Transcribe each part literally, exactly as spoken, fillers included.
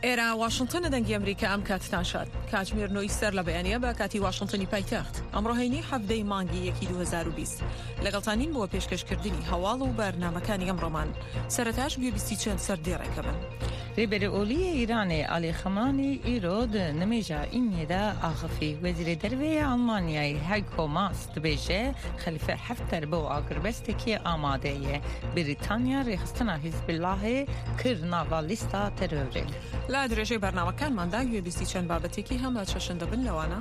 ئێرە واشنگتنە، دەنگی ئەمریکا، ئەم کاتتان شاد. کاتژمێر نۆی سەر لە بەیانیە بە کاتی واشنگتنی پایتەخت. ئەمڕۆ هەینی، حەڤدەی مانگی یەکی دوو هەزار و بیست. لەگەڵتانین بۆ پێشکەشکردنی هەواڵ و بەرنامەکانی ئەمڕۆمان. سەرەتاش گوێبیستی چەند سەر دێڕێکە بن. Rêberê Olî yê Îranê Alî Ximanî îro di nimêja Îniyê de axifî. Wezîrê Derve yê Almanyayê Heiko Maas dibêje, Xelîfe Hefter bo agirbestekê amade ye. Brîtanya rêxistina Hizbillahê kir nava lîsta terorê. لە درێژەی بەرنامەکانماندا گوێبیستی چەند بابەتێکی هەم لە چەشن دەبن، لەوانە: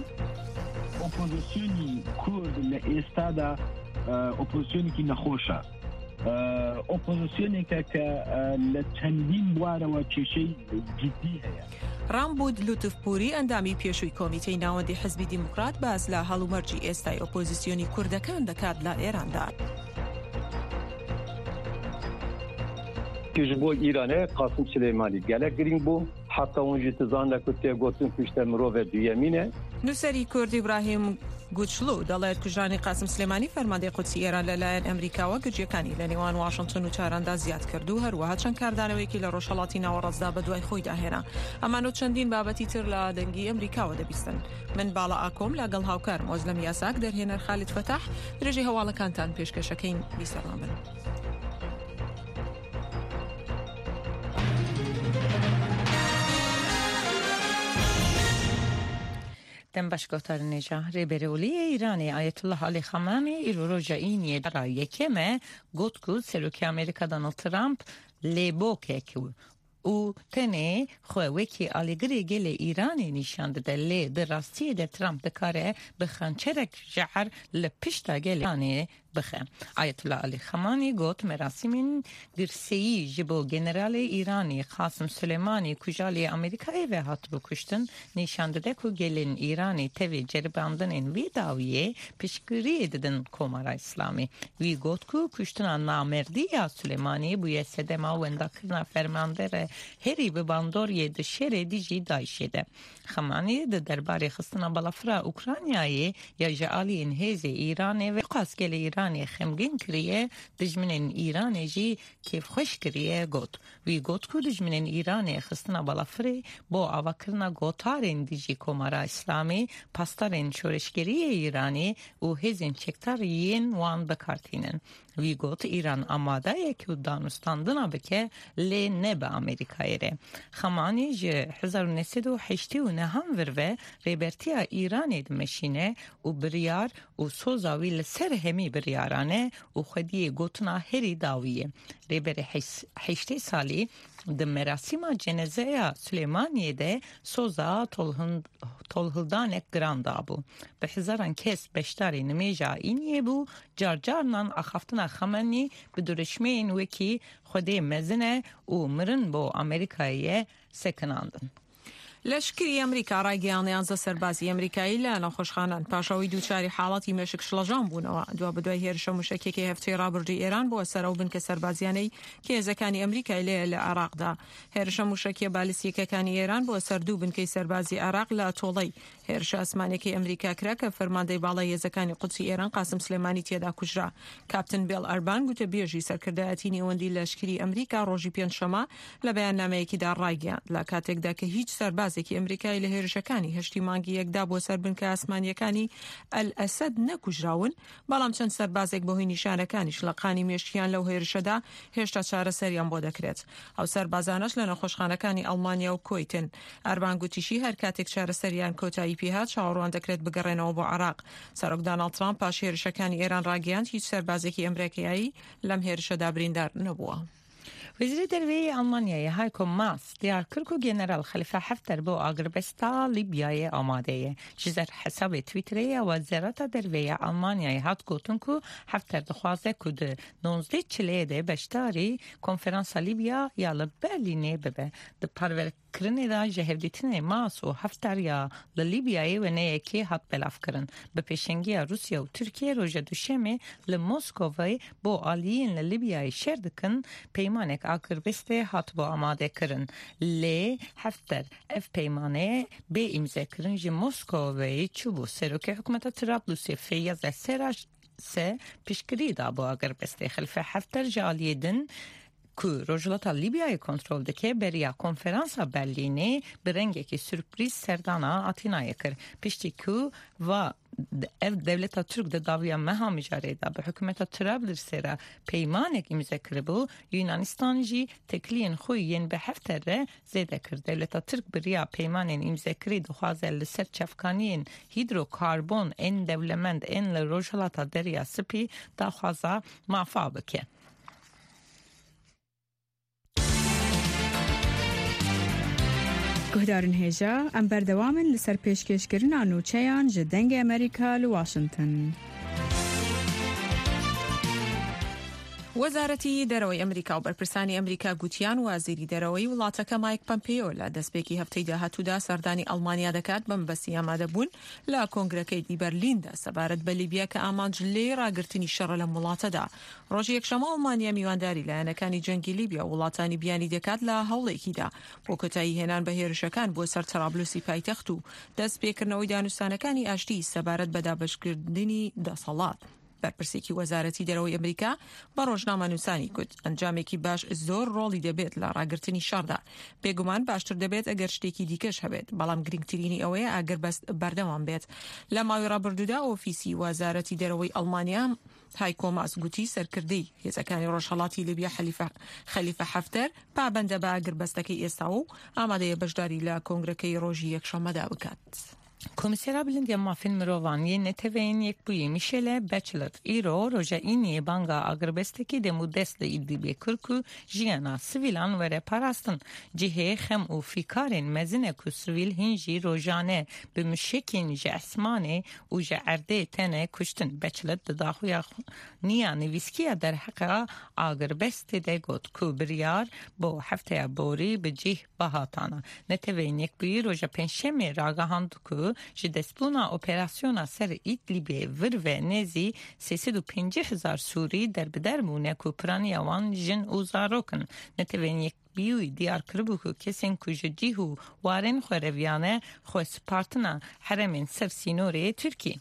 ئۆپۆزیسیۆنی کورد لە ئێستادا، ئە، ئۆپۆزیسیۆنێکی نەخۆشە. ئە، ئۆپۆزیسیۆنێکە کە، ئە، لە چەندین بوارەوە کێشەی جدی هەیە. ڕامبود لوتفپوری، ئەندامی پێشووی کۆمیتەی ناوەندی حزبی دیموکرات، باس لە هەڵومەرجی ئێستای ئۆپۆزیسیۆنی کوردەکان دەکات لە ئێراندا. Ji bo Îranê Qasim Silêmanî gelek girîng bû. Heta hûn jî dizanin ku tê gotin kuşte mirove duyemîn e. نووسەری کورد ئیبراهیم گوچلو دەڵێت کوژرانی قاسم سلێمانی، فەرماندەی قودسی ئێران، لەلایەن ئەمریکاوە گرژیەکانی لە نێوان واشنگتن و تاراندا زیاد کرد و هەروەها چەند کاردانەوەیەکی لە ڕۆژهەڵاتی ناوەڕاستدا بە دوای خۆیدا هێنا. ئەمانە و چەندین بابەتی تر لە دەنگی ئەمریکاوە دەبیستن. من باڵا ئاکۆم لەگەڵ هاوکارم ئۆزلەم یاساک، دەرهێنەر خالید فەتاح، درێژەی هەواڵەکانتان پێشکەشەکەین. بیسەرمان بن. Dem baş guhdarên hêja. Rêberê Olî yê Îranê Ayetullah Alî Xamenî îro roja Îniyê dara yekem e got ku Serokê Amerîka Donald Trump lêbokek û tenê xwe wekî alîgirê gelê Îranê nîşan dide, lê di rastiyê de Trump dikare bi xençerek jehr li pişta gelê Îranê bixe. Ayetullah Alî Xamenî got, merasîmên girseyî ji bo Generalê Îranê Qasim Suleymanî ku ji aliyê Amerîkayê ve hatibû kuştin, nîşan dide ku gelên Îranê tevî ceribandinên vî dawiyê piştgiriyê didin Komara Îslamî. Wî got ku kuştina namerdî ya Suleymanî bûye sedema wendakirina fermandera herî bi bandoriyê di şerê dijî DAIŞê de. Xamenî di derbarê xistina balafira Ukraynayê ya ji aliyên hêzê Îranê ve qas gelê Îranê xemgîn kiriye, dijminên Îranê jî kêfxweş kiriye, got. Wî got ku dijminên Îranê xistina balafirê bo avakirina gotarên dijî Komara Îslamî, pasdarên şoreşgerî yê Îranê û hêzên çekdar yên wan bi kar tînin. Wî got, Îran amade ye ku danûstandina bike, lê ne bi Amerîkayê re. Xamenî ji hezar û neh sed û heştê û neh an vir ve rêbertiya Îranê dimeşîne û biryar û soza wî li ser hemî biryaran e û xwediyê gotina herî dawî ye. Rêberê heş-, heştê salî di merasîma cenezeya Silêmaniyê de soza tolhin-, tolhildanek giran dabû. Bi hezaran kes beşdarî nimêja Îniyê bû, car carinan axaftina Xamenî bi dirişmeyên wekî Xwedê mezin e û mirin bo Amerîkayê ye sekinandin. لەشکری ئەمریکا ڕایگەیاند یانزە سەربازی ئەمریکایی لە نەخۆشخانەن پاش ئەوەی دووچاری حاڵەتی مێشک شڵەژان بوونەوە، دوا بەدوای هێرشە موشەکیەکەی هەفتەی ڕابردووی ئێران بۆ سەر ئەو بنکە سەربازیانەی کە هێزەکانی ئەمریکای لێیە لە عێراقدا. هێرشە موشەکیە بالیستیەکانی ئێران بۆ سەر دوو بنکەی سەربازی عێراق لە تۆڵەی هێرشە ئاسمانیەکەی ئەمریکا کرا کە فەرماندەی باڵای هێزەکانی قودسی ئێران قاسم سلێمانی تێدا کوژرا. کاپتن بێڵ ئەربان، گوتەبێژی سەرکردایەتی نێوەندی لەشکری ئەمریکا، ڕۆژی پێنجشەممە لە بەیاننامەیەکیدا ڕایگەیاند، لە کاتێکدا کە هیچ سەربازێکی ئەمریکای لە هێرشەکانی هەشتی مانگی یەکدا بۆ سەر بنکە ئاسمانیەکانی ئەل ئەسەد نەکوژراون، بەڵام چەند سەربازێک بەهۆی نیشانەکانی شلەقانی مێشکیان لەو هێرشەدا هێشتا چارەسەریان بۆ دەکرێت. ئەو سەربازانەش لە نەخۆشخانەکانی ئەڵمانیا و کوەیتن. ئەربان گوتیشی هەر کاتێک چارەسەریان کۆتایی پێهات، چاوەڕوان دەکرێت بگەڕێنەوە بۆ عێراق. سەرۆک دۆناڵد ترامپ پاش هێرشەکانی ئێران ڕاگەیاند هیچ سەربازێکی ئەمریکایی لەم هێرشەدا بریندار نەبووە. Wezîrê Derve yê Almanyayê Heiko Maas diyar kir ku General Xelife Hefter bo agirbesta Lîbyayê amade ye. Ji ser hesabê Twitterê ya Wezareta Derve ya Almanyayê hat gotin ku Hefter dixwaze ku di nozdeh çileyê de beşdarî Konferansa Lîbya ya li Berlînê bibe. Di parve kirinê de ji hevdîtinê Maas û Hefter ya li Lîbyayê wêneyekê hat belavkirin. Bi pêşengiya Rûsya û Tirkiye roja Duşemê li Moskovê bo aliyên li Lîbyayê şer dikin peymanek agirbestê hatibû amadekirin. Lê Hefter ev peymane bê îmzekirin ji Moskovê çûbû. Serokê hikûmeta Trablusê Feyyaz El-Serraj se piştgirî dabû agirbestê. Xelife Hefter ji aliyê din ku Rojhilata Lîbyayê kontrol dike, beriya konferansa Berlînê bi rengekî surprîz serdana Atînayê kir. Piştî ku va ev dewleta Tirk di dawiya meha mijarê de bi hikûmeta Trablisê re peymanek îmze kiribû, Yûnanistan jî têkiliyên xwe yên bi heft re zêde kir. Dewleta Tirk bi riya peymanên îmzekirî dixwaze li ser çavkaniyên hîdrokarbon ên dewlemend ên li Rojhilata Derya Spî daxwaza mafa bike. Guhdarên hêja, em berdewam in li ser pêşkêşkirina nûçeyan ji Dengê Amerîka li Washington. وەزارەتی دەرەوەی ئەمریکا و بەرپرسانی ئەمریکا گوتیان وەزیری دەرەوەی وڵاتەکە مایک پەمپێۆ لە دەستپێکی هەفتەی داهاتوودا سەردانی ئەڵمانیا دەکات بە مەبەستی ئامادەبوون لە کۆنگرەکەی دی بەرلیندا سەبارەت بە لیبیا کە ئامانج لێ ڕاگرتنی شەڕە لە وڵاتەدا. ڕۆژی یەکشەممە ئەڵمانیا میوانداری لایەنەکانی جەنگی لیبیا و وڵاتانی بیانی دەکات لە هەوڵێکیدا بۆ کۆتایی هێنان بە هێرشەکان بۆ سەر تەرابلوسی پایتەخت و دەست پێکردنەوەی دانوستانەکانی ئاشتی سەبارەت بە دابەشکردنی دەسەڵات. بەرپرسێکی وەزارەتی دەرەوەی ئەمریکا بە ڕۆژنامە نووسانی گوت ئەنجامێکی باش زۆر ڕۆڵی دەبێت لە ڕاگررتنی شەڕدا. بێگومان باشتر دەبێت ئەگەر شتێکی دیکەش هەبێت، بەڵام گرنگترینی ئەوەیە ئاگربەست بەردەوام بێت. لە ماوەی ڕابردوودا ئۆفیسی وەزارەتی دەرەوەی ئەڵمانیا، هایکۆ ماس گوتی سەرکردەی هێزەکانی ڕۆژهەڵاتی لیبیا حەلیفە، خەلیفە حەفتەر پابەندە بە ئاگربەستەکەی ئێستا و ئامادەیە بەشداری لە کۆنگرەکەی ڕۆژی یەکشەممەدا بکات. Komîsera Bilind ya Mafên Mirovan yê Neteweyên Yekbûyî Michelle Bachelet îro roja Îniyê banga agirbestekî demûdest li Îdlîbê kir ku jiyana sivîlan were parastin. Cihê xem û fîkarên mezin e ku sivîl hîn jî rojane bi muşekên ji esmanê û ji erdê tene kuştin. Bachelet di daxuya xwe niya nivîskiya derheqa agirbestê de got ku biryar bo hefteya borî bi cih bihatana. Neteweyên Yekbûyî roja Pêncşemê ragihand ku ji destbûna operasyona ser Îdlîbê vir ve nêzî sê sed û pêncî hezar Sûrî derbider bûne ku piraniya wan jin û zarok in. Neteweyên Yekbûyî diyar kiribû ku kesên ku ji cih û warên xwe reviyane xwe spartina herêmên ser sînorê Tirkî.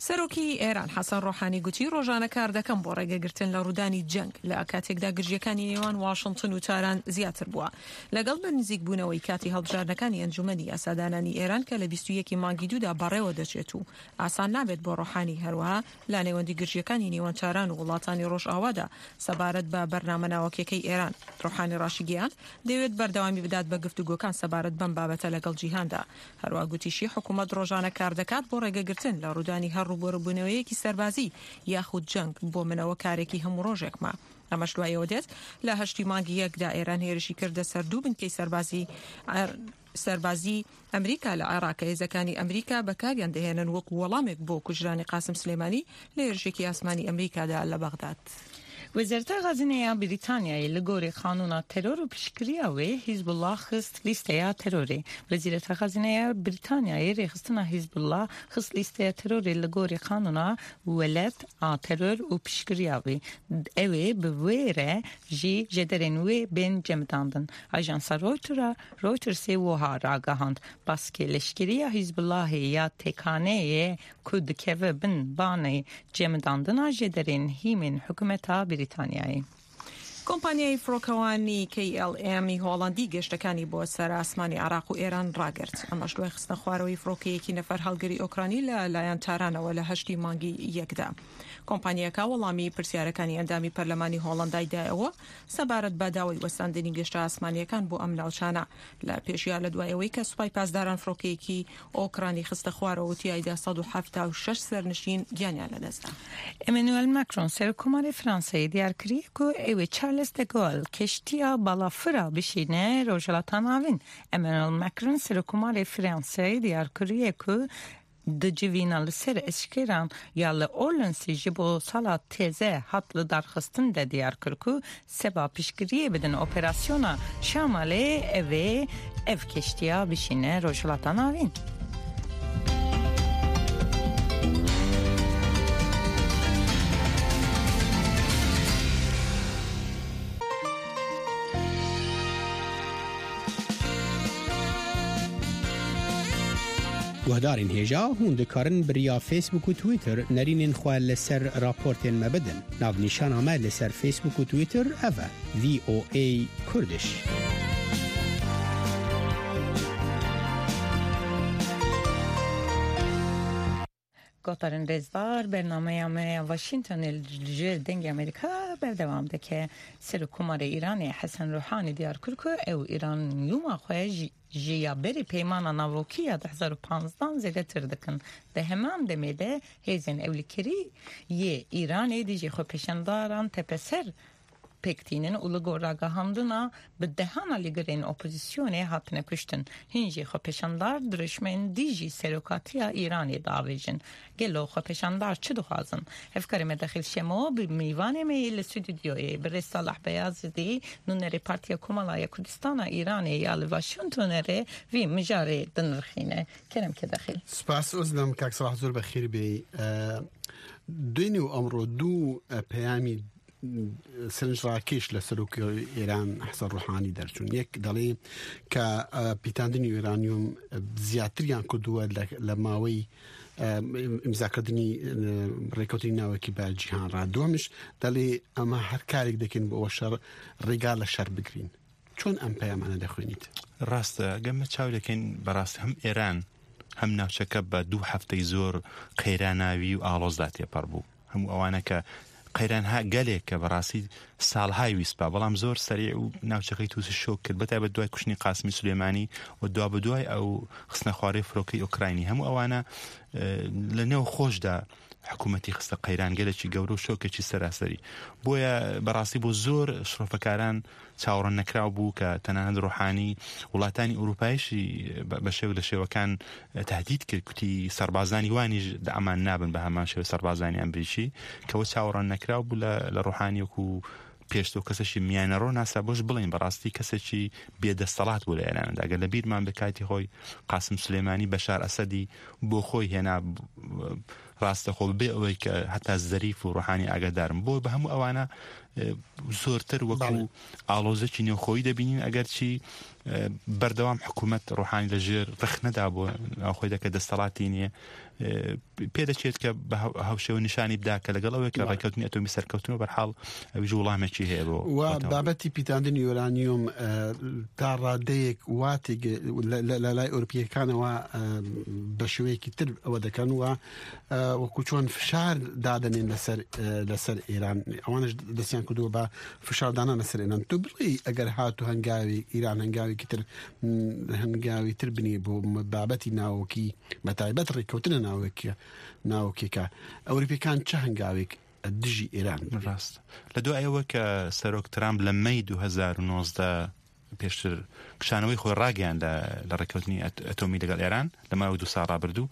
سەرۆکی ئێران حەسەن ڕۆحانی گوتی ڕۆژانە کار دەکەم بۆ ڕێگەگرتن لە ڕوودانی جەنگ لە کاتێکدا گرژیەکانی نێوان واشنگتن و تاران زیاتر بووە. لەگەڵ بە نزیک بوونەوەی کاتی هەڵبژاردنەکانی ئەنجومەنی یاسادانانی ئێران کە لە بیست و یەکی مانگی دوودا بەڕێوە دەچێت و ئاسان نابێت بۆ ڕۆحانی، هەروەها لە نێوەندی گرژیەکانی نێوان تاران و وڵاتانی ڕۆژئاوادا سەبارەت بە بەرنامە ناوەکیەکەی ئێران. ڕۆحانی ڕاشیگەیاند دەیەوێت بەردەوامی بدات بە گفتوگۆکان سەبارەت بەم بابەتە لەگەڵ جیهاندا. هەروە گوتیشی حکوومەت ڕۆژانە کار دەکات بۆ ڕێگەگرتن لە ڕوودانی هەر ڕووبەڕووبوونەوەیەکی سەربازی یاخود جەنگ بۆ منەوە کارێکی هەموو ڕۆژێکمە. ئەمەش دوایەوە دێت لە هەشتی مانگی یەکدا ئێران هێرشی کردە سەر دوو بنکەی سەربازی عێر-، سەربازی ئەمریکا لە عێراق کە هێزەکانی ئەمریکا بەکاریان دەهێنن وەکو وەڵامێک بۆ کوژرانی قاسم سلێمانی لە هێرشێکی ئاسمانی ئەمریکادا لە بەغداد. Wezareta Xezîneya Brîtanyayê li gorî qanûna teror û piştgiriya wê Hizbullah xist lîsteya terorê. Wezîreta Xezîneya Brîtanyayê rêxistina Hizbullah xist lîsteya terorê li gorî qanûna welat a teror û piştgiriya wê. Ew ê bi wê re jî jêderên wê bên cemidandin. Ajansa Reutera, Reutersê wiha ragihand, baskê leşkeriya Hizbullahê ya têkaneyê ku dikeve bin banê cemidandina jêderên hîmên hikûmeta Brîtanyayê. کۆمپانیای فڕۆکەوانی KLM ی هۆڵەندی گەشتەکانی بۆ سەر ئاسمانی عێراق و ئێران ڕاگرت. ئەمەش دوای خستنە خوارەوەی فڕۆکەیەکی نەفەر هەڵگری ئۆکرانی لە لایەن تارانەوە لە هەشتی مانگی یەکدا. کۆمپانیاکە وەڵامی پرسیارەکانی ئەندامی پەرلەمانی هۆڵەندای دایەوە سەبارەت بە داوای وەستاندنی گەشتە ئاسمانیەکان بۆ ئەم ناوچانە، لە پێشیا لە دوایەوەی کە سوپای پاسداران فڕۆکەیەکی ئۆکرانی خستە خوارەوە و تیایدا سەد و حەفتا و شەش سەرنشین گیانیان لەدەستدا. Emmanuel Macron, Serokkomarê Fransayê diyar kiriye ku ew ê Charles de Gaulle keştiya balafira bişîne Rojhilata Navîn. Emmanuel Macron, Serokkomarê Fransayê diyar kiriye ku di civîna li ser eşkeran ya li Orleansê ji bo sala teze hat lidarxistin de diyar kir ku seba piştgiriyê bidin operasyona Şamalê, ev ê ev keştiya bişîne Rojhilata Navîn. Guhdarên hêja, hûn dikarin bi riya Facebook û Twitter nerînên xwe li ser raportên me bidin. Navnîşana me li ser Facebook û Twitter ev e, V O A Kurdish. Gotarên rêzdar, bernameya me ya Washingtonê li jêr Dengê Amerîka berdewam dike. Serokkomarê Îranê Hesen Ruhanî diyar kir ku ew uranyuma xwe ji, ji ya berî Peymana Navokî ya du hezar û panzdeh zêdetir dikin. Di heman demê de hêzên ewlekirî yê Îranê dijî xwepêşandaran tepeser pêk tînin û li gor ragihandina bi dehan alîgirên opozîsyonê hatine kuştin. Hin jî xwepêşandar dirêjmên dijî serokatiya Îranê diavêjin. Gelo xwepêşandar çi dixwazin? Hevkarê me Dexîl Şemo bi mêvanê me yê li stûdyoyê, birêz Salah Beyazidî, nûnerê Partiya Komala ya Kurdistana Îranê ya li Washingtonê re vî mijarê dinirxîne. Kerem ke Dexîl. Spas Ozlem, kak Salah, zor bexîr bê. E, Dûnî û emro du, e, peyamî sevinç rakêş li serokê Îran Hesen Ruhanî derçûn. Yek delê ke, e, pîtandinî uranyum, e, ziyatiriyan ku duwe li, li maweyî, e, îmzakirdinî, e, rêkewtinî navekî be cîhan re. Duhemiş delê, ema her karek dekin bi o şer rêga li şer bigirîn. Çon em peyamane dexwînît? Rast e, gem me çaw dekin berast hem Îran hem navçeke be du hefteyî zor qeyranavî û aloz da têpar bû. Hemû ewane ke qeyran ha gelê ke bi rastî salhay wîst ba, belam zor serî û navçekey Tûsî şok kir. Bi taybet duay kuştinî Qasimî Sulêmanî û dua bi duay ew xistine xwarê firokey Ukraynî. Hemû ewane, e, li nêw xweş de hikûmetî xiste qeyran gelekî gewre û şokekî seraserî. Boye bi rastî bo zor şirofekaran çawa nekiraw bû ke tenanî Ruhanî welatani Ewropayî jî be, be şew li şewekan tehdîd kir, kutî serbazanî wanî ji di eman nabin bi heman şew serbazanî Emerîkî, ke we çawa nekiraw bû li, li Ruhanî wekû pêşto kesê jî miyane ro nasa bo ji bilên bi rastî kesekî bêdestelat bû li Îranê de. Eger li bîr man bi katî xwe Qasim Sulêmanî, Beşar Esedî bo xwe hêna, raste xwe bê ewê ke heta Zerîf û Ruhanî agahdar in. Bo bi hemû ewana, e, zortir wekû Belê. alozekî nêwxoyî debînin, eger çî, e, berdewam hikûmet Ruhanî li jêr rix nedabû, navxwe de ke destelatî niye. E, pê de çêt ke bi hew-, hewşe û nîşanî bida ke legal ew ke Belê. rêkewtinî etomî serkewtin û berhal ew ji welamekî heye bo We watan. babetî pîtandinî uranyum, e, ta radeyek watê ge-, le, le, le, lay Ewropiyekan wa, e, bi şêweyekî tir ew dekan wa, e, wekû çon fişar dadenên li ser, e, li ser Îran. Ewan ji destiyan ku dû ba fişar danan li ser Îran. Tu bilî eger hatu hengavê Îran hengavê kitir, m, hengavê tir binê bo m-, babetî navokî, bi taybet rêkewtine navokî, navokî ke Ewropiyekan çi hengavêk dijî Îran? Rast. Li dua ew ke Serok Trump li Mey du hezar û nozdeh pêştir kişanەوەی خۆی ڕاگەیاندە لە ڕێککەوتنی ئەت-، ئەتۆمی لەگەڵ ئێران لە ماوەی دوو ساڵ ڕابردوو،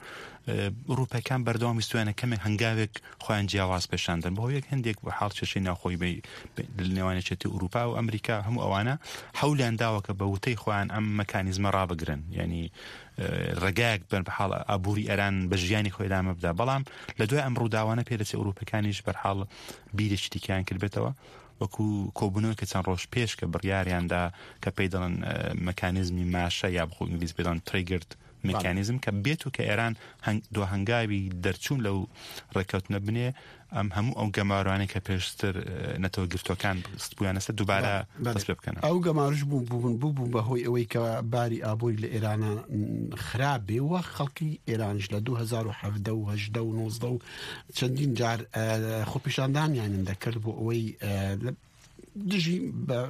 ئە، ئەوروپەکان بەردەوام ویستویانە کەمێک هەنگاوێک خۆیان جیاواز پێشاندن. بەهۆیەک هەندێک بە حاڵ کێشەی ناوخۆی بە، بە، لە نێوان یەکێتی ئەوروپا و ئەمریکا هەموو ئەوانە حەولیان داوە کە بە وتەی خۆیان ئەم مەکانیزمە ڕابگرن. یعنی، ئە، ڕێگایەک بن بە حاڵ ئابووری ئێران بە ژیانی خۆی ئەدامە بدا. بەڵام لە دوای ئەم ڕووداوانە پێدەچێت ئەوروپەکانیش بەرحاڵ بیرێکی دیکەیان کردبێتەوە. وەکو کۆبوونەوەی کە چەند ڕۆژ پێش کە بڕیاریاندا کە پێی دەڵێن، ئە، مەکانیزمی ماشە یا بخۆ ئینگلیز پێ دەڵێن triggered mechanism، کە بێت و کە ئێران هەنگ-، دو هەنگاوی دەرچوون لەو ڕێککەوتنە بنێ، ئەم هەموو ئەو گەمارانەی کە پێشتر، ئە، نەتەوە گرتوەکان ستبوویانە سەر دووبارە بەڵێ، بەڵێ. دەست پێ بکەن. ئەو گەمارش بوو، بوو، بوو، بوو، بوو بەهۆی ئەوەی کە باری ئابووری لە ئێرانە، م، خراپ بێ و خەڵکی ئێرانش لە دوو هەزار و حەڤدە و هەژدە و نۆزدە و چەندین جار، ئە، خۆپیشاندانیان دەکرد بۆ ئەوەی، ئە، لە دژی بە-،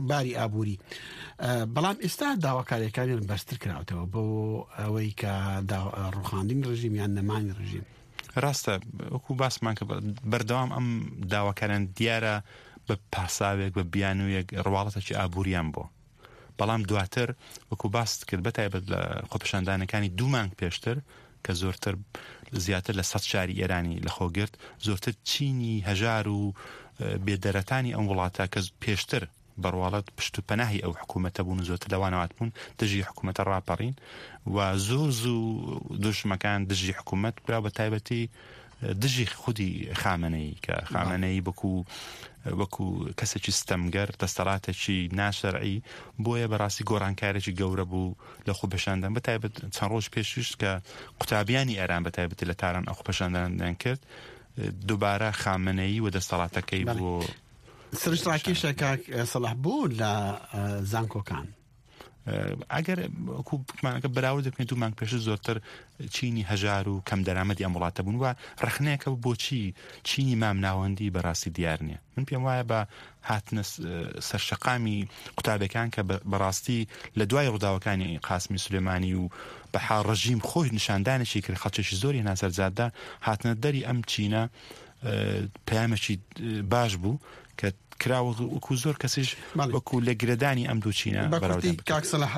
باری ئابووری. ئە، بەڵام ئێستا داواکاریەکانیان بەرزتر کراوەتەوە بۆ ئەوەی کە دا-، ڕوخاندنی ڕژیم یان نەمانی ڕژیم. ڕاستە، وەکو باسمان کە بە-، بەردەوام ئەم داواکاریان دیارە بە پاساوێک، بە بیانوویەک، ڕواڵەتێکی ئابووریان بۆ. بەڵام دواتر، وەکو باست کرد، بە تایبەت لە خۆپیشاندانەکانی دوو مانگ پێشتر، کە زۆرتر، زیاتر لە سەد شاری ئێرانی لەخۆ گرت، زۆرتر چینی هەژار و، ئە، بێدەرەتانی ئەم وڵاتە کە پێشتر بەڕواڵەت پشت و پەناهی ئەو حکوومەتە بوون و زۆرتر لەوانەوات بوون، دژی حکوومەتە ڕاپەڕین و زۆر زوو دژمەکان دژی حکوومەت برا، بە تایبەتی دژی خودی خامنەیی، کە خامنەیی بەکو وەکو کەسێکی ستەمگەر، دەستەڵاتێکی ناشەرعی، بۆیە بەڕاستی گۆڕانکارێکی گەورە بوو لە خۆپێشاندان، بە تایبەت چەند ڕۆژ پێشوش کە قوتابیانی ئێران بە تایبەتی لە تاران ئەو خۆپێشاندانیان کرد، دووبارە خامنەیی و دەستەڵاتەکەی بۆ سروش ڕاکیشە کاک سەڵاح بوو لە زانکۆکان. ئەگەر وەکو بتمانەکە بەراورد بکەین، دوو مانگ پێش زۆرتر چینی هەژار و کەم دەرامەتی ئەم وڵاتە بوون و ڕەخنەیەکە بۆچی چینی مام ناوەندی بەڕاستی دیار نییە. من پێم وایە بە هاتنە سەرشەقامی قوتابەکان کە بەڕاستی لە دوای ڕووداوەکانی قاسمی سلێمانی و بەحا ڕژیم خۆی نیشاندانێکی کرد، خەڵکێکی زۆری هێنا سەر جادە، هاتنە دەری ئەم چینە پەیامێکی باش بوو کە کراوە وەکو زۆر کەسیش وەکو لە گرێدانی ئەم دوو چینە بەراوردان بکرێت. کاک سەلاح،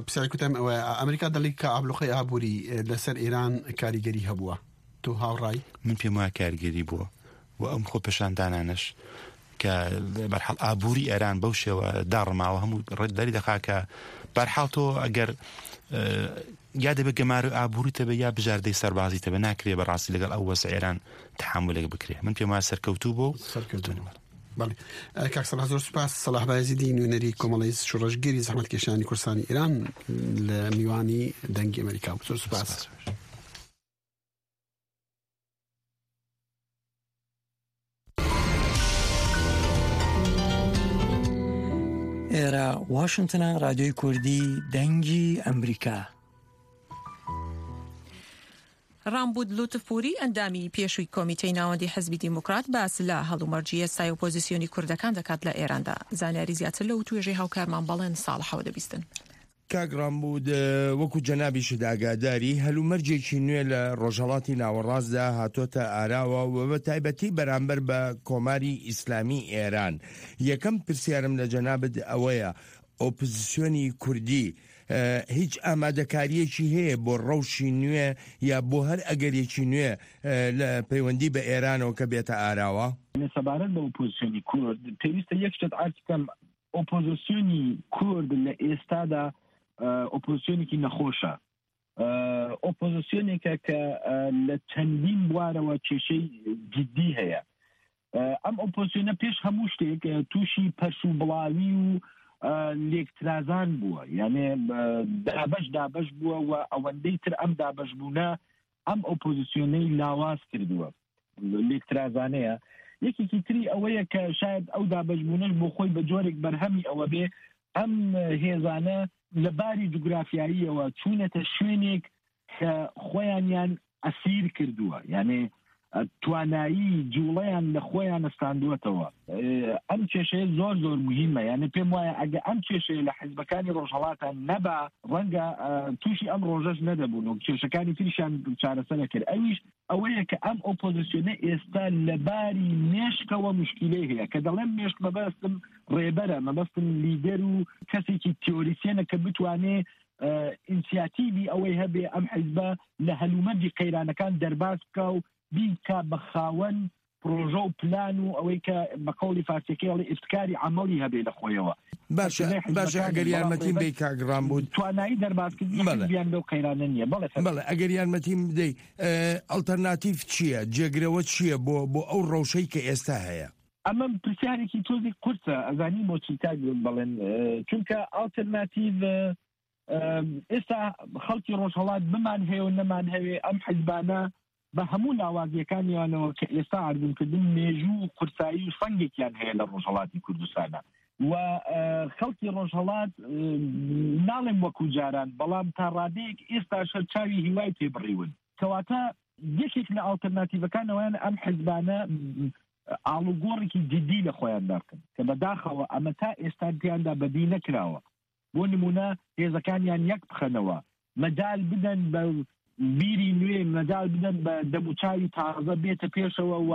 پرسیاری کوتم ئەوە، ئەمریکا دەڵی کە ئابلوقەی ئابووری لەسەر ئێران کاریگەری هەبووە، تۆ هاوڕای؟ من پێم وایە کاریگەری بووە و ئەم خۆ پێشاندانانش کە بەرحاڵ ئابووری ئێران بەو شێوە داڕماوە، هەموو ڕێ دەری دەخا کە بەرحاڵ تۆ ئەگەر یا دەبێت گەمارۆی ئابووری تەبێ یا بژاردەی سەربازی تەبێ، ناکرێ بەڕاستی لەگەڵ ئەو وەزع ئێران تەحامولێک بکرێ. من پێم وایە سەرکەوتوو بوو. سەرکەوتوو بوو. بەڵێ. کاک سەلاح، زۆر سوپاس. سەلاح بایزیدی، نوێنەری کۆمەڵی شوڕەشگیری زەحمەتکێشانی کوردستانی ئێران، لە میوانی دەنگی ئەمریکا بوو. زۆر سوپاس. ئێرە واشنتنە، رادیۆی کوردی دەنگی ئەمریکا. ڕامبود لوتفپوری، ئەندامی پێشووی کۆمیتەی ناوەندی حزبی دیموکرات، باس لە هەڵومەرجی ئێستای ئۆپۆزیسیۆنی کوردەکان دەکات لە ئێراندا. زانیاری زیاتر لە وتوێژەی هاوکارمان بەڵێن ساڵحەوە دەبیستن. کاک ڕامبود، وەکو جەنابیشت ئاگاداری، هەلومەرجێکی نوێ لە ڕۆژهەڵاتی ناوەڕاستدا هاتۆتە ئاراوە و بە تایبەتی بەرامبەر بە کۆماری ئیسلامی ئێران. یەکەم پرسیارم لە جەنابت ئەوەیە، ئۆپۆزیسیۆنی کوردی هیچ ئامادەکاریەکی هەیە بۆ ڕەوشی نوێ یا بۆ هەر ئەگەرێکی نوێ لە پەیوەندی بە ئێرانەوە کە بێتە ئاراوە؟ سەبارەت بە ئۆپۆزیسیۆنی کورد، پێویستە یەک شت عەرز بکەم. ئۆپۆزیسیۆنی کورد لە ئێستادا ئۆپۆزیسیۆنێکی نەخۆشە. ئۆپۆزیسیۆنێکە کە لە چەندین بوارەوە کێشەی جددی هەیە. ئەم ئۆپۆزیسیۆنە پێش هەموو شتێک تووشی پەرش و بڵاوی و لێکترازان بووە، یانێ دابەش دابەش بووە و ئەوەندەی تر ئەم دابەش بوونە ئەم ئۆپۆزیسیۆنەی لاواز کردووە، لێکترازانەیە. یەکێکی تری ئەوەیە کە شاید ئەو دابەشبوونەش بۆ خۆی بە جۆرێک بەرهەمی ئەوە بێ ئەم هێزانە لە باری جوگرافیاییەوە چوونەتە شوێنێک کە خۆیانیان ئەسیر کردووە، یانێ توانایی جوڵەیان لە خۆیان نستاندووەتەوە. ئەم کێشەیە زۆر زۆر مهمە، یانێ پێم وایە ئەگە ئەم کێشەیە لە حیزبەکانی ڕۆژهەڵاتان نەبا، ڕەنگە تووشی ئەم ڕۆژەش نەدەبوون و کێشەکانی تریشان چارەسەر دەکرد. ئەویش ئەوەیە کە ئەم ئۆپۆزیسیۆنە ئێستا لە باری مێشکەوە مشکیلەی هەیە، کە دەڵێم مێشک مەبەستم ڕێبەرە، مەبەستم لیدەر و کەسێکی تیۆریسیەنە کە بتوانێ ئینسیاتیڤی ئەوەی هەبێ ئەم حیزبە لە هەلومەرجی قەیرانەکان دەرباز بکا و بیکا بە خاوەن پرۆژە و پلان و ئەوەی کە بە قەولی فارسیەکەی ئەڵێ ئیبتکاری عەمەڵی هەبێ لە خۆیەوە. باشە، باشە، ئەگەر یارمەتیم بی کاک ڕامبود. توانایی دەربازکردنی حیزبیان لەو قەیرانە نییە. بەڵێ، بەڵێ، ئەگەر یارمەتیم بدەی، ئەلتەرناتیڤ چییە؟ جێگرەوە چییە بۆ، بۆ ئەو ڕەوشەی کە ئێستا هەیە؟ ئەمە پرسیارێکی تۆزی قورسە، ئەزانی بۆچی کاک بڵێن، چونکە ئەلتەرناتیڤ، ئێستا خەڵکی ڕۆژهەڵات بمان هەیە و نەمان هەوێ، ئەم حیزبانە بە هەموو لاوازیەکانیانەوە کە ئێستا ئاردنکردن مێژوو و قورسایی و سەنگێکیان هەیە لە ڕۆژهەڵاتی کوردستانە و خەڵکی ڕۆژهەڵات، ناڵێم وەکو جاران، بەڵام تا ڕادەیەک ئێستا شەرچاوی هیوای پێ بڕیون. کەواتە یەکێک لە ئاڵتەرناتیڤەکانەوەیان ئەم حیزبانە ئاڵوگۆڕێکی جددی لە خۆیان دابکەن کە بەداخەوە ئەمە تا ئێستا پێیاندا بەدی نەکراوە. بۆ نمونە هێزەکانیان یەک بخەنەوە، مەجال بدەن بە بیری نوێ، مەجال بدەن بە دەموچاوی تازە بێتە پێشەوە و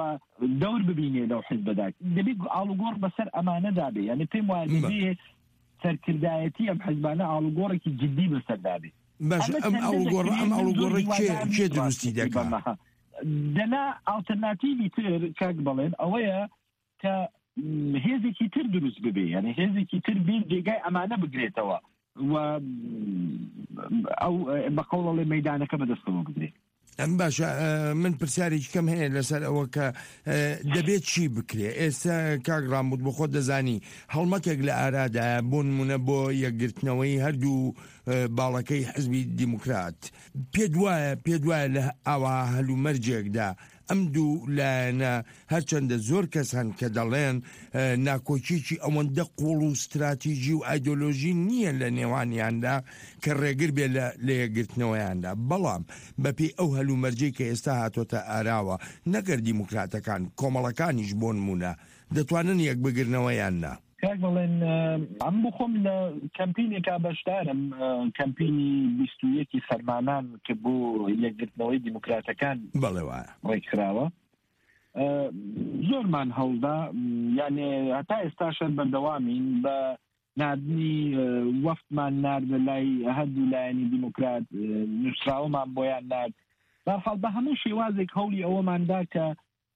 دەور ببینێ لەو حیزبەدا. دەبێت ئاڵوگۆڕ بەسەر ئەمانەدا بێ، یعنی پێم وایە دەبێ سەرکردایەتی ئەم حیزبانە ئاڵوگۆڕێکی جددی بەسەردا بێ. باش، ئەم ئاڵوگۆڕە، ئەم ئاڵوگۆڕە کێ، کێ دروستی دەکات؟ دەنا ئاڵتەرناتیڤی تر کاک بەڵێن ئەوەیە کە هێزێکی تر دروست ببێ، یعنی هێزێکی تر بێ جێگای ئەمانە بگرێتەوە و ئەو بە قەوڵەڵێ مەدانەکە بەدەستەوە بگرێت. ئەم باشە، ئە، من پرسیارێکی کەم هەیە لەسەر ئەوە کە، ئە، دەبێت چی بکرێ. ئێستا کاک ڕاموود بۆ خۆت دەزانی هەڵمەتێک لە ئارادایە، بۆ نمونە بۆ یەکگرتنەوەی هەردوو، ئە، باڵەکەی حزبی دیموکرات. پێت وایە، پێت وایە لە ئاوا هەلومەرجێکدا ئەم دوو لایەنە، هەرچەندە زۆر کەس هەن کە دەڵێن، ئە، ناکۆکیەکی ئەوەندە قوڵ و استراتیژی و ئایدۆلۆژی نییە لە نێوانیاندا کە ڕێگر بێ لە، لە یەکگرتنەوەیاندا، بەڵام بە پێی ئەو هەلومەرجەی کە ئێستا هاتۆتە ئاراوە، نەگەر دیموکراتەکان، کۆمەڵەکانیش بۆ نمونە، دەتوانن یەک بگرنەوە یان نا؟ کاک بەڵێن، ئە، ئەم بۆ خۆم لە کەمپینێکا بەشدارم، ئە، کەمپینی بیست و یەکی سەرمانان کە بۆ یەکگرتنەوەی دیموکراتەکان بەڵێ وایە. ڕێکخراوە. ئە، زۆرمان هەڵدا، یانێ هەتا ئێستاشە بەردەوامین بە ناردنی، ئە، وەفتمان ناردە لای هەردوو لایەنی دیموکرات، ئە، نووسراوەمان بۆیان نارد. بەرحاڵ بە هەموو شێوازێک هەوڵی ئەوەماندا کە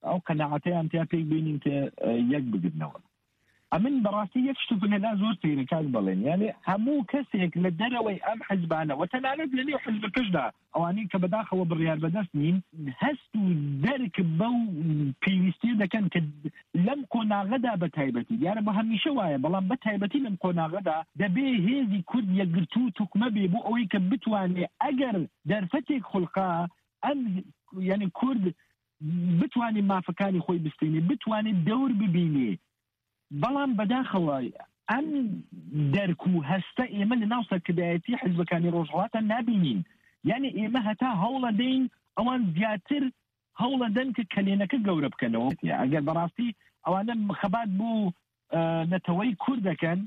ئەو قەناعەتەیان تیا پێک بینین کە، ئە، یەک بگرنەوە. ئەمن بەڕاستی یەک شتوفن هەلا زۆر سەیرە کاک بەڵێن. یانێ هەموو کەسێک لە دەرەوەی ئەم حزبانە و تەنانەت لە نێو حزبەکەشدا، ئەوانەی کە بەداخەوە بڕیار بەدەست نین، هەست و دەرک بەو پێویستیە دەکەن کە لەم قۆناغەدا بە تایبەتی، دیارە بە هەمیشە وایە، بەڵام بە تایبەتی لەم قۆناغەدا دەبێ هێزی کورد یەکگرتوو توکمە بێ بۆ ئەوەی کە بتوانێ ئەگەر دەرفەتێک خولقا ئەم، یعنی کورد بتوانێ مافەکانی خۆی بستێنێ، بتوانێ دەور ببینێ. بەڵام بەداخەوە ئەم دەرک و هەستە ئێمە لە ناو سەرکردایەتی حزبەکانی ڕۆژهەڵاتە نابینین. یعنی ئێمە هەتا هەوڵە دەین ئەوان زیاتر هەوڵە دەن کە کەلێنەکە گەورە بکەنەوە. ئەگەر بەڕاستی ئەوانە خەبات بۆ، ئە، نەتەوەی کورد دەکەن،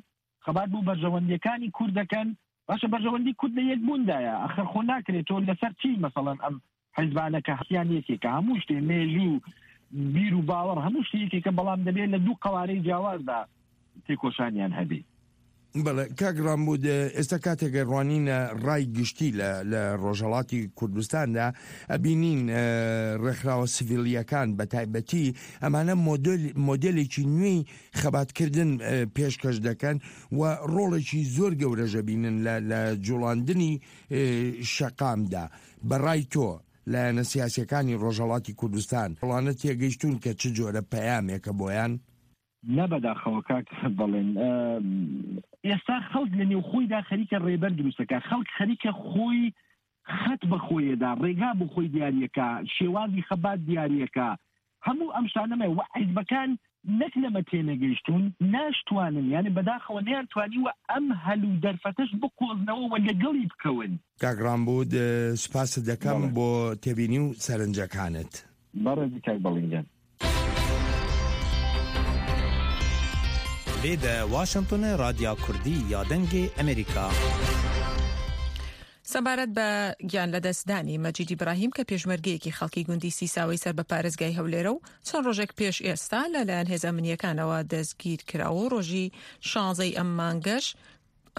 خەبات بۆ بەرژەوەندیەکانی کورد دەکەن، باشە بەرژەوەندی کورد لە یەک بووندایە. ئەخر خۆ ناکرێت تۆ لەسەر چی مەسەڵەن ئەم حزبانە کە هەستیان یەکێکە، هەموو شتێ مێژوو، بیر و باوەڕ، هەموو شتێ یەکێکە، بەڵام دەبێت لە دوو قەوارەی جیاوازدا تێکۆشانیان هەبێ. بەڵێ، کاک ڕامبود، ئێستا کاتێک ڕوانینە ڕای گشتی لە، لە ڕۆژهەڵاتی کوردستاندا، ئەبینین، ئە، ڕێکخراوە سڤیلیەکان بە تایبەتی ئەمانە مۆدل، مۆدلێکی نوێی خەباتکردن، ئە، پێشکەش دەکەن و ڕۆڵێکی زۆر گەورەش ئەبینن لە، لە جوڵاندنی، ئە، شەقامدا. بەڕای تۆ لایەنە سیاسیەکانی ڕۆژهەڵاتی کوردستان، ئەوانە تێگەیشتون کە چ جۆرە پەیامێکە بۆیان؟ نە بەداخەوە کاک بەڵێن. ئە، ئێستا خەڵک لە نێو خۆیدا خەریکە ڕێبەر دروستەکە. خەڵک خەریکە خۆی خەت بە خۆیەدا، ڕێگا بۆ خۆی دیاریەکە، شێوازی خەبات دیاریەکە. هەموو ئەم شتانەمە و حیزبەکان نەک لەمە تێنەگەیشتون، ناشتوانن، یعنی بەداخەوە نەیان توانی و ئەم هەل و دەرفەتەش بقۆزنەوە و لەگەڵی بکەون. کاک ڕامبود، ئە، سپاست دەکەم بەڵێ. بۆ تێبینی و سەرنجەکانت. بەڕێزی کاک بەڵێن گیان. Vê de Washingtonê Radya Kurdî ya Dengê Amerîka. سەبارەت بە گیان لەدەستدانی مەجید ئیبراهیم کە پێشمەرگەیەکی خەڵکی گوندی سیساوەی سەر بە پارێزگای هەولێرە و چەند ڕۆژێک پێش ئێستا لەلایەن هێزە ئەمنیەکانەوە دەستگیر کراوە و ڕۆژی شانزەی ئەم مانگەش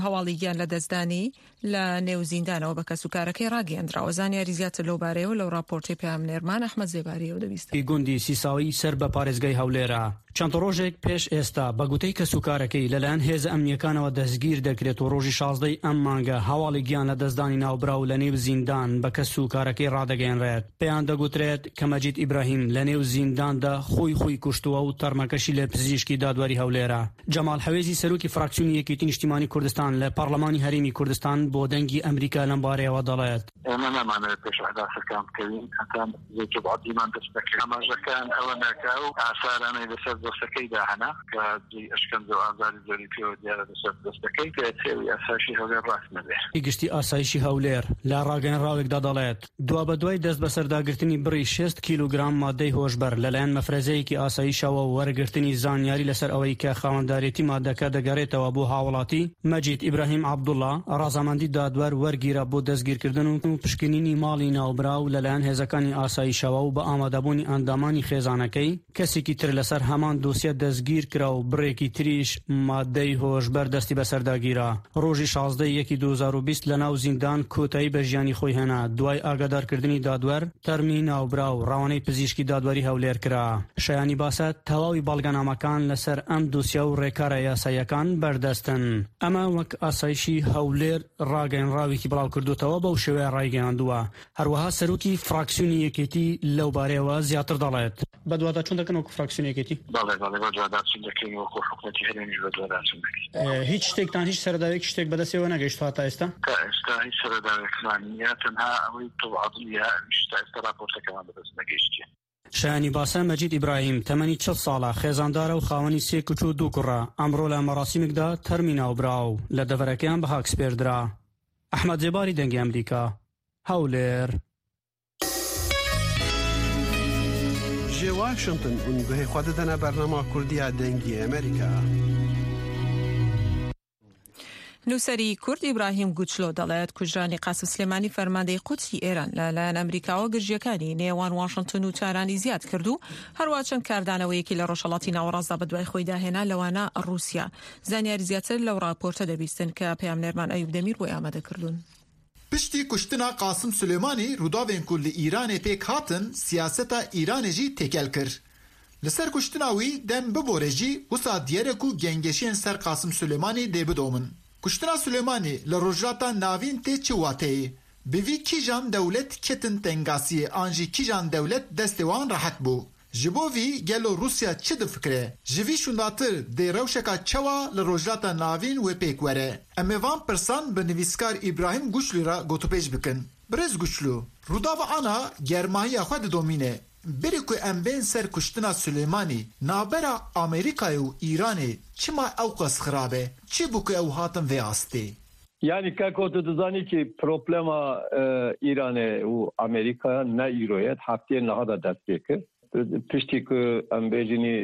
هەواڵی گیان لەدەستدانی لە نێو زیندانەوە بە کەسوکارەکەی ڕاگەیەندراوە. زانیاری زیاتر لەو بارەیەوە لەو راپۆرتی پەیامنێرمان ئەحمەد زێباریەوە دەبیست. گوندی سیساوی سەر بە پارێزگای هەولێرە چەند ڕۆژێک پێش ئێستا بە گوتەی کەسوکارەکەی لەلایەن هێزە ئەمنیەکانەوە دەستگیر دەکرێت و ڕۆژی شازدەی ئەم مانگە هەواڵی گیان لەدەستدانی ناوبراو لە نێو زیندان بە کەسوکارەکەی ڕادەگەیەنرێت. پێیان دەگوترێت کە مەجید ئیبراهیم لە نێو زینداندا خۆی خۆی کوشتووە و تەرمەکەشی لە پزیشکی دادوەری هەولێرە. جەمال حەوێزی، سەرۆکی فراکسیۆنی یەکێتی نیشتیمانی کوردستان لە پەرلەمانی هەرێمی کوردستان، بۆ دەنگی ئەمریکا لەم بارەیەوە دەڵێت. ئێمە نامانەوێت پێش ئەحداسەکان بکەوین، هەتا زوجب عەبدیمان دەست دەکرد. ئاماژەکان ئەوە ناکا و ئاسارانەی لەسەر دەستەکەیدا هەنا کە جێی ئەشکەنجە و ئازاری زۆری پێوە دیارە لەسەر دەستەکەی، کە تێوی ئاسایشی هەولێر ڕاست نەبێ. گشتی ئاسایشی هەولێر لە ڕاگەیەنراوێکدا دەڵێت، دوا بە دوای دەست بەسەرداگرتنی بڕی شەست کیلوگرام مادەی هۆشبەر لەلایەن مەفرەزەیەکی ئاسایشەوە و وەرگرتنی زانیاری لەسەر ئەوەی کە خاوەندارێتی مادەکە دەگەڕێتەوە بۆ هاوڵاتی، مەجید ئیبراهیم عەبدوڵڵا، ڕازامەندی دادوەر وەرگیرا بۆ دەستگیرکردن و پشکنینی ماڵی ناوبراو لەلایەن هێزەکانی ئاسایشەوە و بە ئامادەبوونی ئەندامانی خێزانەکەی، کەسێکی تر لەسەر هەمان دۆسیە دەستگیر کرا و بڕێکی تریش مادەی هۆشبەر دەستی بەسەرداگیرا. ڕۆژی شازدە یەکی دوو هەزار و بیست لە ناو زیندان کۆتایی بە ژیانی خۆی هێنا. دوای ئاگادارکردنی دادوەر، تەرمی ناوبراو ڕەوانەی پزیشکی دادوەری هەولێر کرا. شایانی باسە، تەواوی بەڵگەنامەکان لەسەر ئەم دۆسیە و ڕێکارە یاساییەکان بەردەستن. ئەمە وەک ئاسایشی هەولێر ڕاگەیەنراوێکی بڵاو کردوتەوە، بەو شێوەیە ڕایگەیاندووە. هەروەها سەرۆکی فراکسیۆنی یەکێتی لەو بارەیەوە زیاتر دەڵێت. بە دوواداچوون دەکەن وەکو فراکسیۆنی یەکێتی؟ بەڵێ، بەڵێ، بە دوواداچوون دەکەین، وەکو حکومەتی هەرێمیش بە دوواداچوون دەکەین. ئێ، هیچ شتێکتان، هیچ سەرەداوێک، شتێک بەدەستێوە نەگەیشتووە تا ئێستا؟ تا ئێستا هیچ سەرەداوێکمان نییە، تەنها ئەوەی تەواضیە، ئەویش تا ئێستا راپۆرتەکەمان بەدەست نەگەیشتیە. شایانی باسە، مەجید ئیبراهیم، تەمەنی چل ساڵە، خێزاندارە و خاوەنی سێ کچ و دوو کوڕە. ئەمڕۆ لە مەراسیمێکدا تەرمی ناوبراو لە دەڤەرەکەیان بە هاک سپێردرا. ئەحمەد جێباری، دەنگی ئەمریکا، هەولێر. Ji Washington hûn guhê xwe didine bernama Kurdî ya Dengê Amerîka. نووسەری کورد ئیبراهیم گوچلۆ دەڵێت کوژرانی قاسم سلێمانی فەرماندەی قودسی ئێران لەلایەن ئەمریکاوە گرژیەکانی نێوان واشنتن و تارانی زیاد کرد و هەروە چەند کاردانەوەیەکی لە ڕۆژهەڵاتی ناوەڕاستدا بە دوای خۆی داهێنا، لەوانە ڕووسیا. زانیاری زیاتر لەو ڕاپۆرتە دەبیستن کە پەیامنێرمان ئەیوب دەمیر بۆی ئامادە کردوون. Piştî kuştina Qasim Sulêmanî, rûdavên ku li Îranê pêk hatin, siyaseta Îranê jî têkel kir. Li ser kuştina wî dem bibore jî, wisa diyar e ku gengeşiyên ser Qasim Sulêmanî dê bidomin. Kuştina Sulêmanî li Rojhilata Navîn tê çi wateyê? Bi vî kîjan dewlet ketin tengasiyê an jî kîjan dewlet destê wan rehet bû? Ji bo vî gelo Rûsya çi difikire? Ji vî şûndatir dê rewşeka çawa li Rojhilata Navîn wê pêk were? Em ê van pirsan bi nivîskar Îbrahîm Guçlû re gotûbêj bikin. Birêz Guçlû, Rûdava Ana germahiya xwe didomîne. Berî ku em bên ser kuştina Sulêmanî, navbera Amerîkayê û Îranê çima ewqas xirab e? Çi bû ku ew hatin vê astê? Yani keko tu dizanî ki problema, e, Îranê û Amerîkaya ne îro ye, heftiyê niha de dest pê kir. Piştî ku em bêjinî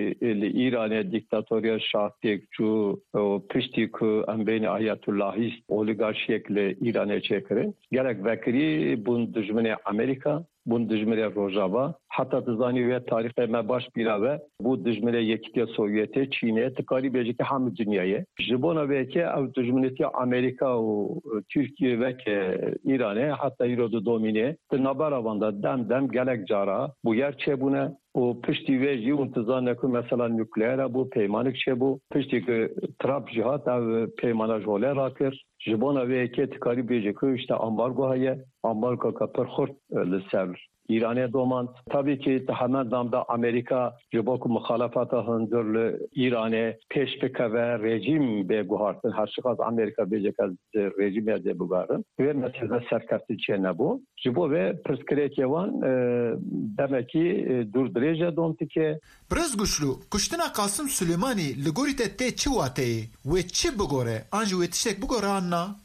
li Îranê dîktatoriya Şah têk çû û piştî ku em bêjinî ayatullahîst oligarşiyek li Îranê çêkirin, gelek vekirî bûn dijminê Amerîka. Bûn dijminê Rojava. Heta tu zanî wê tarîxê me baş bîra be, bû dijminê Yekîtiya Sovyetê, Çînê, tu karî bêjî ki hemû dinyayê. Ji bona vê yekê ew dijminêtiya Amerîka û Tirkiye weke Îranê heta îro didomîne. Di navbera van de dem dem gelek cara bûyer çêbûne û piştî wê jî hûn tu zanine ku mesela nukleer hebû, peymanek çêbû. Piştî ku Trump jî hat, ev peymana ji holê rakir. Ji bona vê yekê tu karî bêjî ku işte ambargo heye, ambargoka pir xurt, e, li ser Îranê domand. Tabî ki di hemen dem de Amerîka ji bo ku muxalefeta hundir li Îranê pêş bikeve, rejîm bê guhartin, her çiqas Amerîka bêje ke ez rejîmê dê biguherim, wê meselê serkeftin çênebû. Ji bo vê pirsgirêkê wan, e, demekî, e, dûr dirêj e dom dike. Birêz Guçlû, kuştina Qasim Sulêmanî li gorî te tê çi wateyê? Wê çi bigore? An jî wê tiştek bigore an na?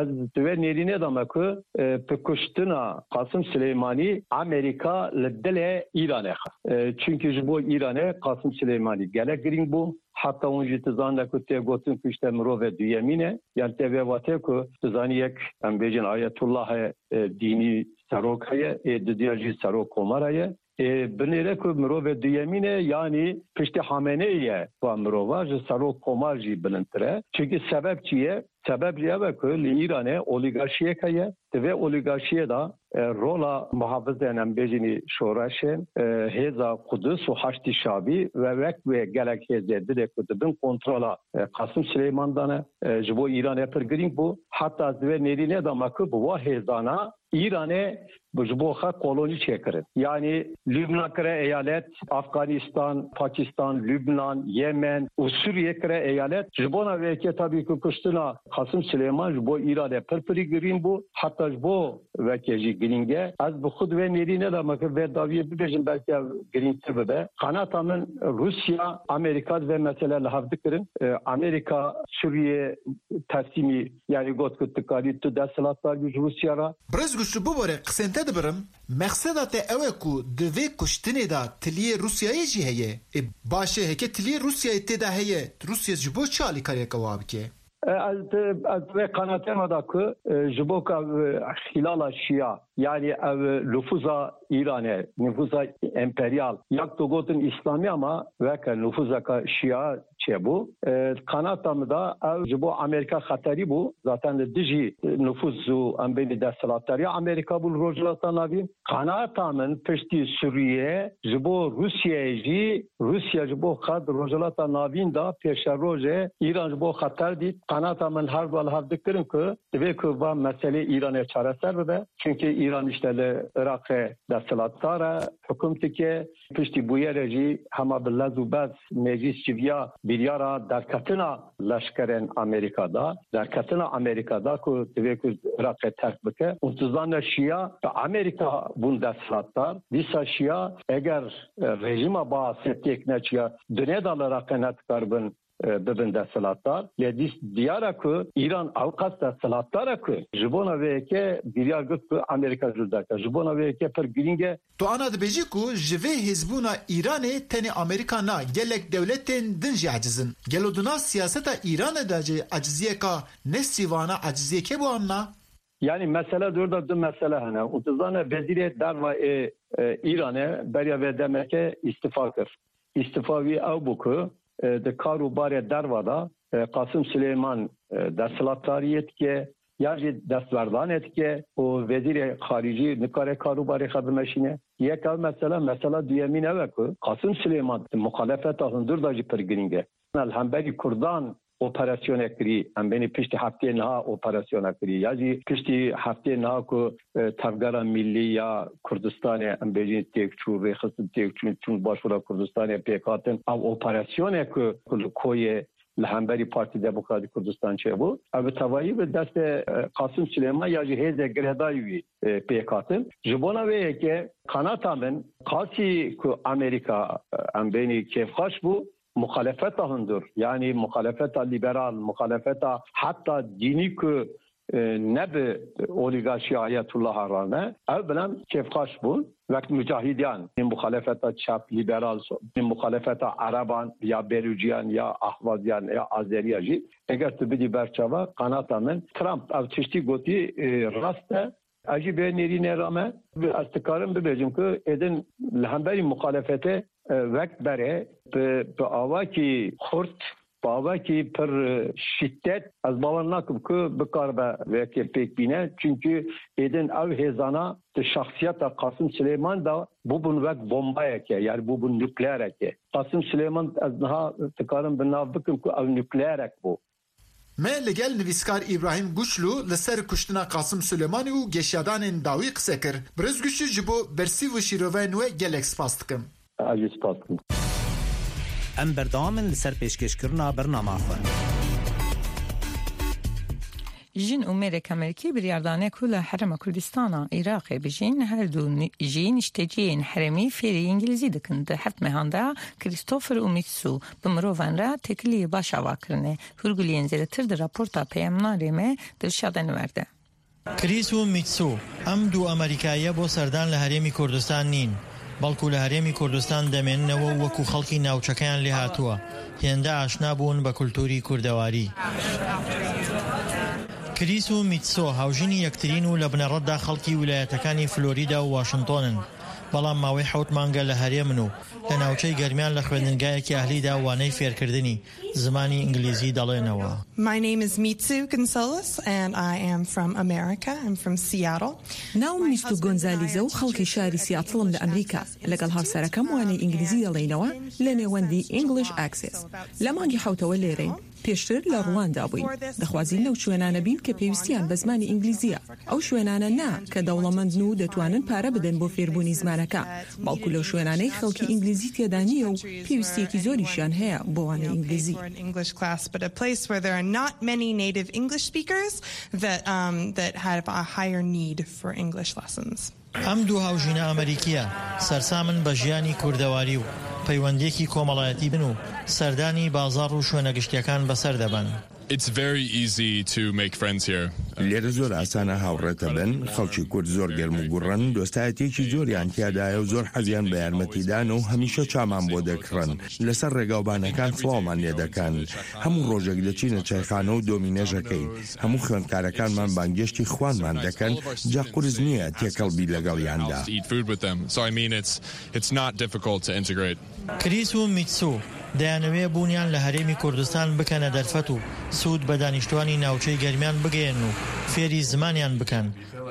Ez di vê nêrînê de me ku, e, bi kuştina Qasim Silêmanî Amerîka li dilê Îranê xist. E, çunkî ji bo Îranê Qasim Silêmanî gelek girîng bû. Heta hûn jî dizanine ku tê gotin ku işte mirovê duyemîn e. Yan tê vê watê ku dizanî yek, em bêjin, ayetullahê, e, dînî serok heye, ê didiya jî serok komara ye. Ê, binêre ku mirovê duyemîn e, yanî piştî Hameneyê ye va mirova, ji serok komar jî bilindtir e. Çunkî sebeb çi ye? Sebeb jî ev e ku li Îranê olîgarşiyek heye. Di vê olîgarşiyê de, e, rola muhafizên, em bêjinî şoreşên, e, Hêza Qudus û Haştî Şabî ve wek wê gelek hêzê dilê ku di bin kontrola, e, Qasim Silêman de ne, e, ji bo Îranê pir girîng bû. Heta di vê nêrînê de me ku bi wa hêzana Îranê ji bo xwe kolonî çêkirin. Yanî Lubnan kire eyalet, Afganistan, Pakistan, Lubnan, Yemen û Sûriye kire eyalet. Ji bona vê yekê tabî ku kuştina Qasim Silêman ji bo Îranê pir pirî girîng bû. Heta ji bo vekê jî girîng e. Ez bi xwe di vê nêrînê de me kir vê dawiyê bibêjim, belkî ev girîngtir bibe. Qanata min Rûsya, Amerîka di vê mesele li hev dikirin. E, Amerîka Sûriye teslîmî, yanî got ku tu karî tu desthilatdar bî ji Rûsya re. Birêz Guçlû, bibore, qisên te dibirim. Mexseda te ew e ku di vê kuştinê de tiliyê Rûsyayê jî heye. E, baş e, heke tiliyê Rûsyayê tê de heye, Rûsya ji bo çi alîkariyeke wa bike? E, ez, ez vê qanatê me da ku, e, ji bo ku ev, e, xîlala şiya, yanî ev nufûza Îranê, nufûza emperyal, ya ku tu gotin îslamî ama weke nufûzeka şiya çêbû. E, qanata min de ew ji bo Amerîka xeterî bû. Zaten li dijî nufûz û em bênî desthilatdariya Amerîka bû li Rojhilata Navîn. Qanata min piştî Sûriyê ji bo Rûsyayê jî, Rûsya ji bo xwe di Rojhilata Navîn de pêşerojê Îran ji bo xeter dît. Qanata min her du li hev dikirin ku divê ku va meselê Îranê çareser bibe. Çunkî Îran işte li Iraqê desthilatdar e, hukum dike. Piştî bûyerê jî hema bi lez û bez meclîs civiya biryara derketina leşkerên Amerîka da, derketina Amerîka da ku divê ku Iraqê terk bike. Û tu zane şiya bi Amerîka bûn desthilatdar. Dîsa şiya eger, e, rejîma Baasê têk neçiya, dunê da li Iraqê ne dikaribin, e, bibin desthilatdar. Lê dîs diyar e ku Îran ew qas desthilatdar e ku ji bona vê yekê biryar girt ku Amerîka jû derke. Ji bona vê yekê pir girîng e. Tu ana dibêjî ku ji vê hêzbûna Îranê tenê Amerîka na, gelek dewletên din jî eciz in. Gelo di nav siyaseta Îranê de jî eciziyeka nesîvana eciziyekê bo an na? Yanî mesele di wir de du mesele hene. Û tu zane wezîrê derva ê, e, Îranê beriya vê demeke îstifa kir. Îstifa wî ew bû ku, e, di kar û barê derva de, e, Qasim Silêman, e, desthilatdariyê dike, ya jî destberdanê dike û wezîrê xarîcî nikare kar û barê xwe bimeşîne. Yek ev mesele, mesela duyemîn ew e ku Qasim Silêman di muxalefeta hundir de jî pir girîng e. Li hemberî Kurdan operasyonek kirî, em bênî piştî heftê niha operasyona kirî, ya jî piştî heftê niha ku, e, Tevgera Millî ya Kurdistanê, em bêjin têkçû, rêxistin têkçûn, çûn başûra Kurdistanê pêk hatin. Ev operasyonê ku, ku li Koyê li hemberî Partî Demokratîk Kurdistan çêbû, ev bi tevayî bi destê, e, Qasim Silêman ya jî hêzê girêdayî wî, e, pêk hatin. Ji bona vê yekê qanata min qasî ku Amerîka, e, em bênî kêfxweş bû, muxalefeta hundir, yanî muxalefeta lîberal, muxalefeta heta dînî ku, e, ne bi olîgarşiya Ayetullah Haran e, ew bila kêfxweş bûn. Wek mucahidiyan, muxalefeta çep, lîberal, muxalefeta Ereban ya Berûciyan ya Ahwaziyan ya Azeriya jî, eger tu bidî berçava, qanata min Trump ev tiştî gotî, e, rast e. Ez jî bê nêrînê re me, ez dikarim bibêjim ku êdin li hemberî muxalefetê, e, wek berê bi, bi awakî xurt, bi awakî pir, e, şîdet, ez bawer nakim ku bikaribe vê yekê pêk bîne. Çunkî êdin ew hêzana di şexsiyeta Qasim Silêman de bûbûn wek bombayeke, yanî bûbûn nukleereke. Qasim Silêman ez niha dikarim bi nav bikim ku ew nukleerek bû. Me li gel nivîskar Îbrahîm Guçlû li ser kuştina Qasim Silêmanî û geşyadanên dawî qise kir. Birêz Guçlû, ji bo bersîv û şîroveyên we gelek spas dikim. Ez jî spas dikim. Em berdewam in li ser pêşkêşkirina bernama xwe. Jin û mêrek Amerîkî biryar dane ku li Herêma Kurdistana Iraqê bijîn, her du ni-, jî nişteciyên herêmî fêrî îngilîzî dikin. Di heft mehan de Christopher û Mitsu bi mirovan re têkiliyê baş ava kirine. Hûrguliyên zêdetir di raporta peyamnarê me Dilşad Enwer de. Chris û Mitsu, em du Amerîkayê bo serdan li Herêmî Kurdistan nîn, belkû li Herêmî Kurdistan demênineve û wekû xelkî navçekeyên lê hatûwe, hênde aşna bûn bi kultûrî kurdewarî. Chris û Mitsu hawjînî yektirîn û li binerêt de xelkî wîlayetekanî Florîda û Washington in. Belam mawê hewt mang e li herêm in û li navçeyê germiyan li xwendingayekî ehlî de waneyê fêrkirdinî zimanî îngilîzî delêneve. My name is Mitsu Gonzalez and I am from America. I'm from Seattle. ناوم میستو گۆنزالیزە و خەڵکی شاری سیاتڵم لە ئەمریکا. لەگەڵ هاوسەرەکەم وانەی ئینگلیزی دەڵێینەوە لە نێوەندی English Access. لە مانگی حەوتەوە لێرەین. پێشتر لە ڕواندا بووین. دەخوازین لەو شوێنانە بین کە پێویستیان بە زمانی ئینگلیزیە. ئەو شوێنانە نا کە دەوڵەمەندن و دەتوانن پارە بدەن بۆ فێربوونی زمانەکە، بەڵکو لەو شوێنانەی خەڵکی ئینگلیزی تێدا نییە و پێویستیەکی زۆریشیان هەیە بۆ وانەی ئینگلیزی. English class, but a place where there are not many native English speakers that, um, that have a higher need for English lessons. ئەم دوو هاوژینە ئەمریکییە سەرسامن بە ژیانی کوردەواری و پەیوەندییەکی کۆمەڵایەتی بن و سەردانی بازاڕ و شوێنە گشتییەکان بەسەر دەبەن. It's very easy to make friends here. لێرە زۆر ئاسانە هاوڕێ تبن. خەڵکی کورد زۆر گەرم و گوڕن، دۆستایەتییەکی زۆریان تیادایە و زۆر حەزیان بە یارمەتیدانە و هەمیشە چامان بۆ دەکڕن. لەسەر ڕێگاوبانەکان سڵاومان لێ دەکەن. هەموو ڕۆژێک دەچینە چایخانە و دۆمینەژەکەین. هەموو خوێندکارەکانمان بانگێشتی خوانمان دەکەن، جا قورس نییە تێکەڵ بی لەگەڵیاندا. Eat food with them. So, I mean, it's, it's not difficult to integrate. کریس و میتسو دەیانەوێ بوونیان لە هەرێمی کوردستان بکەنە دەرفەت و سوود بە دانیشتوانی ناوچەی گەرمیان بگەیەن و فێری زمانیان بکەن.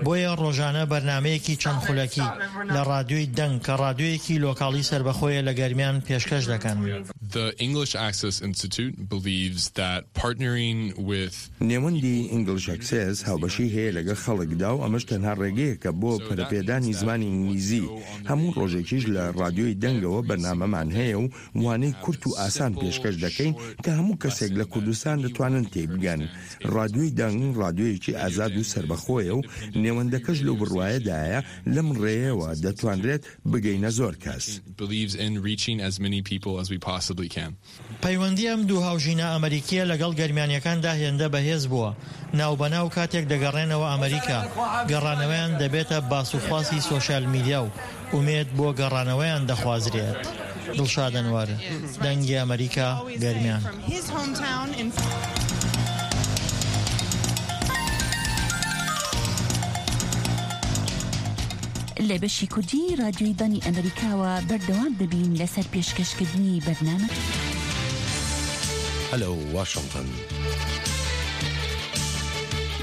بۆیە ڕۆژانە بەرنامەیەکی چەند خولەکی لە ڕادیۆی دەنگ، کە ڕادیۆیەکی لۆکاڵی سربەخۆیە، لە گەرمیان پێشکەش دەکەن. The English Access Institute believes that partnering with نێوەندی English Access هاوبەشی هەیە لەگەڵ خەڵکدا و ئەمەش تەنها ڕێگەیەکە بۆ پەرەپێدانی زمانی ئینگلیزی. هەموو ڕۆژێکیش لە ڕادیۆی دەنگەوە بەرنامەمان هەیە و وانەی کورت و ئاسان پێشکەش دەکەین کە هەموو کەسێک لە کوردستان دەتوانن تێی بگەن. ڕادیۆی دەنگ ڕادیۆیەکی ئازاد و سربەخۆیە و نێوەندەکەش لەو بڕوایەدایە لەم ڕێیەوە دەتوانرێت بگەینە زۆر کەس. Believes in reaching as many people as we possibly can. پەیوەندی ئەم دوو هاوژینە ئەمریکیە لەگەڵ گەرمیانیەکاندا هێندە بەهێز بووە، ناوبەناو کاتێک دەگەڕێنەوە ئەمریکا، گەڕانەوەیان دەبێتە باس و خواسی سۆشیال میدیا و ئومێد بۆ گەڕانەوەیان دەخوازرێت. دڵشاد ئەنوەر، دەنگی ئەمریکا، گەرمیان. لە بەشی کوردی ڕادیۆی دانی ئەمریکاوە بەردەوام دەبین لەسەر پێشکەشکردنی بەرنامە. هەلو واشنگتن.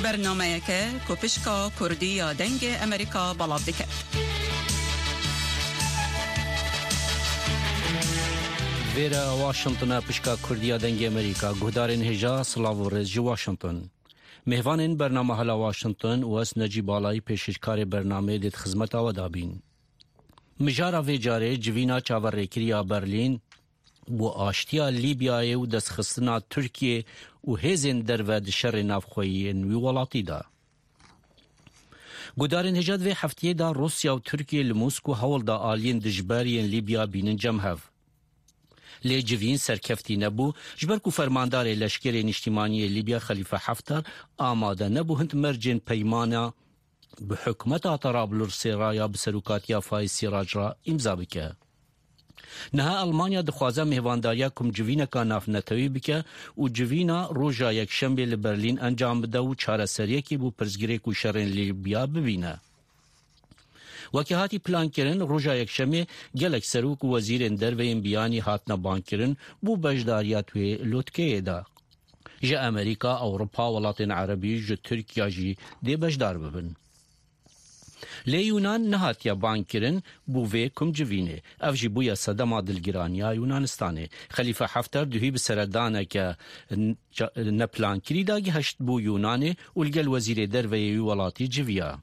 بەرنامەیەکە کۆپشکا کوردی یا دەنگێ ئەمریکا بەڵاو دەکەێت. Vêre Washingtona pişka Kurdiya Dengê Amerîka. Guhdarên hêja, silav û rêz ji Washington. Mêvanên bernama Hela Washington û ez Necî Balayî pêşîşkarê bernameyê dê di xizmeta we de bîn. Mijara vê carê civîna çaverêkirî ya Berlîn bo aştiya Lîbyayê û destxistina Tirkiyê û hêzên derve di şerê navxweyî yên wî welatî de. Gudarên hêja di vê heftiyê de Rûsya û Tirkiye li Moskû hewl da aliyên dijber yên Lîbya bînin cem hev. Lê civîn serkeftî nebû, ji ber ku fermandarê leşkerê nîştîmanî yê Lîbya Xelîfe Heftar amade nebû hind mercên peymana bi hikûmeta Tarablursê re ya bi serokatiya Fayîz Sîrac re îmza bike. Niha Elmanya dixwaze mêvandariya komcivîneka navnetewî bike û civîna roja Yekşemê li Berlîn encam bide û çareseriyekê bo pirsgirêk û şerên Lîbya bibîne. Weke hatî plankirin, roja Yekşemê gelek serok û wezîrên derve yên biyanî hatine bangkirin bo beşdariya di wê lotkeyê de. Ji Amerîka, Ewropa, welatên Erebî, ji Tirkiya jî dê beşdar bibin. Lê Yûnan nehatiye bangkirin bo vê komcivînê. Ev jî bûye sedema dilgiraniya Yûnanistanê. Xelîfe Heftar duhî bi seredaneke n-, ca-, neplankirî de gihişt bo Yûnanê û li gel wezîrê derve yê wî welatî civiya.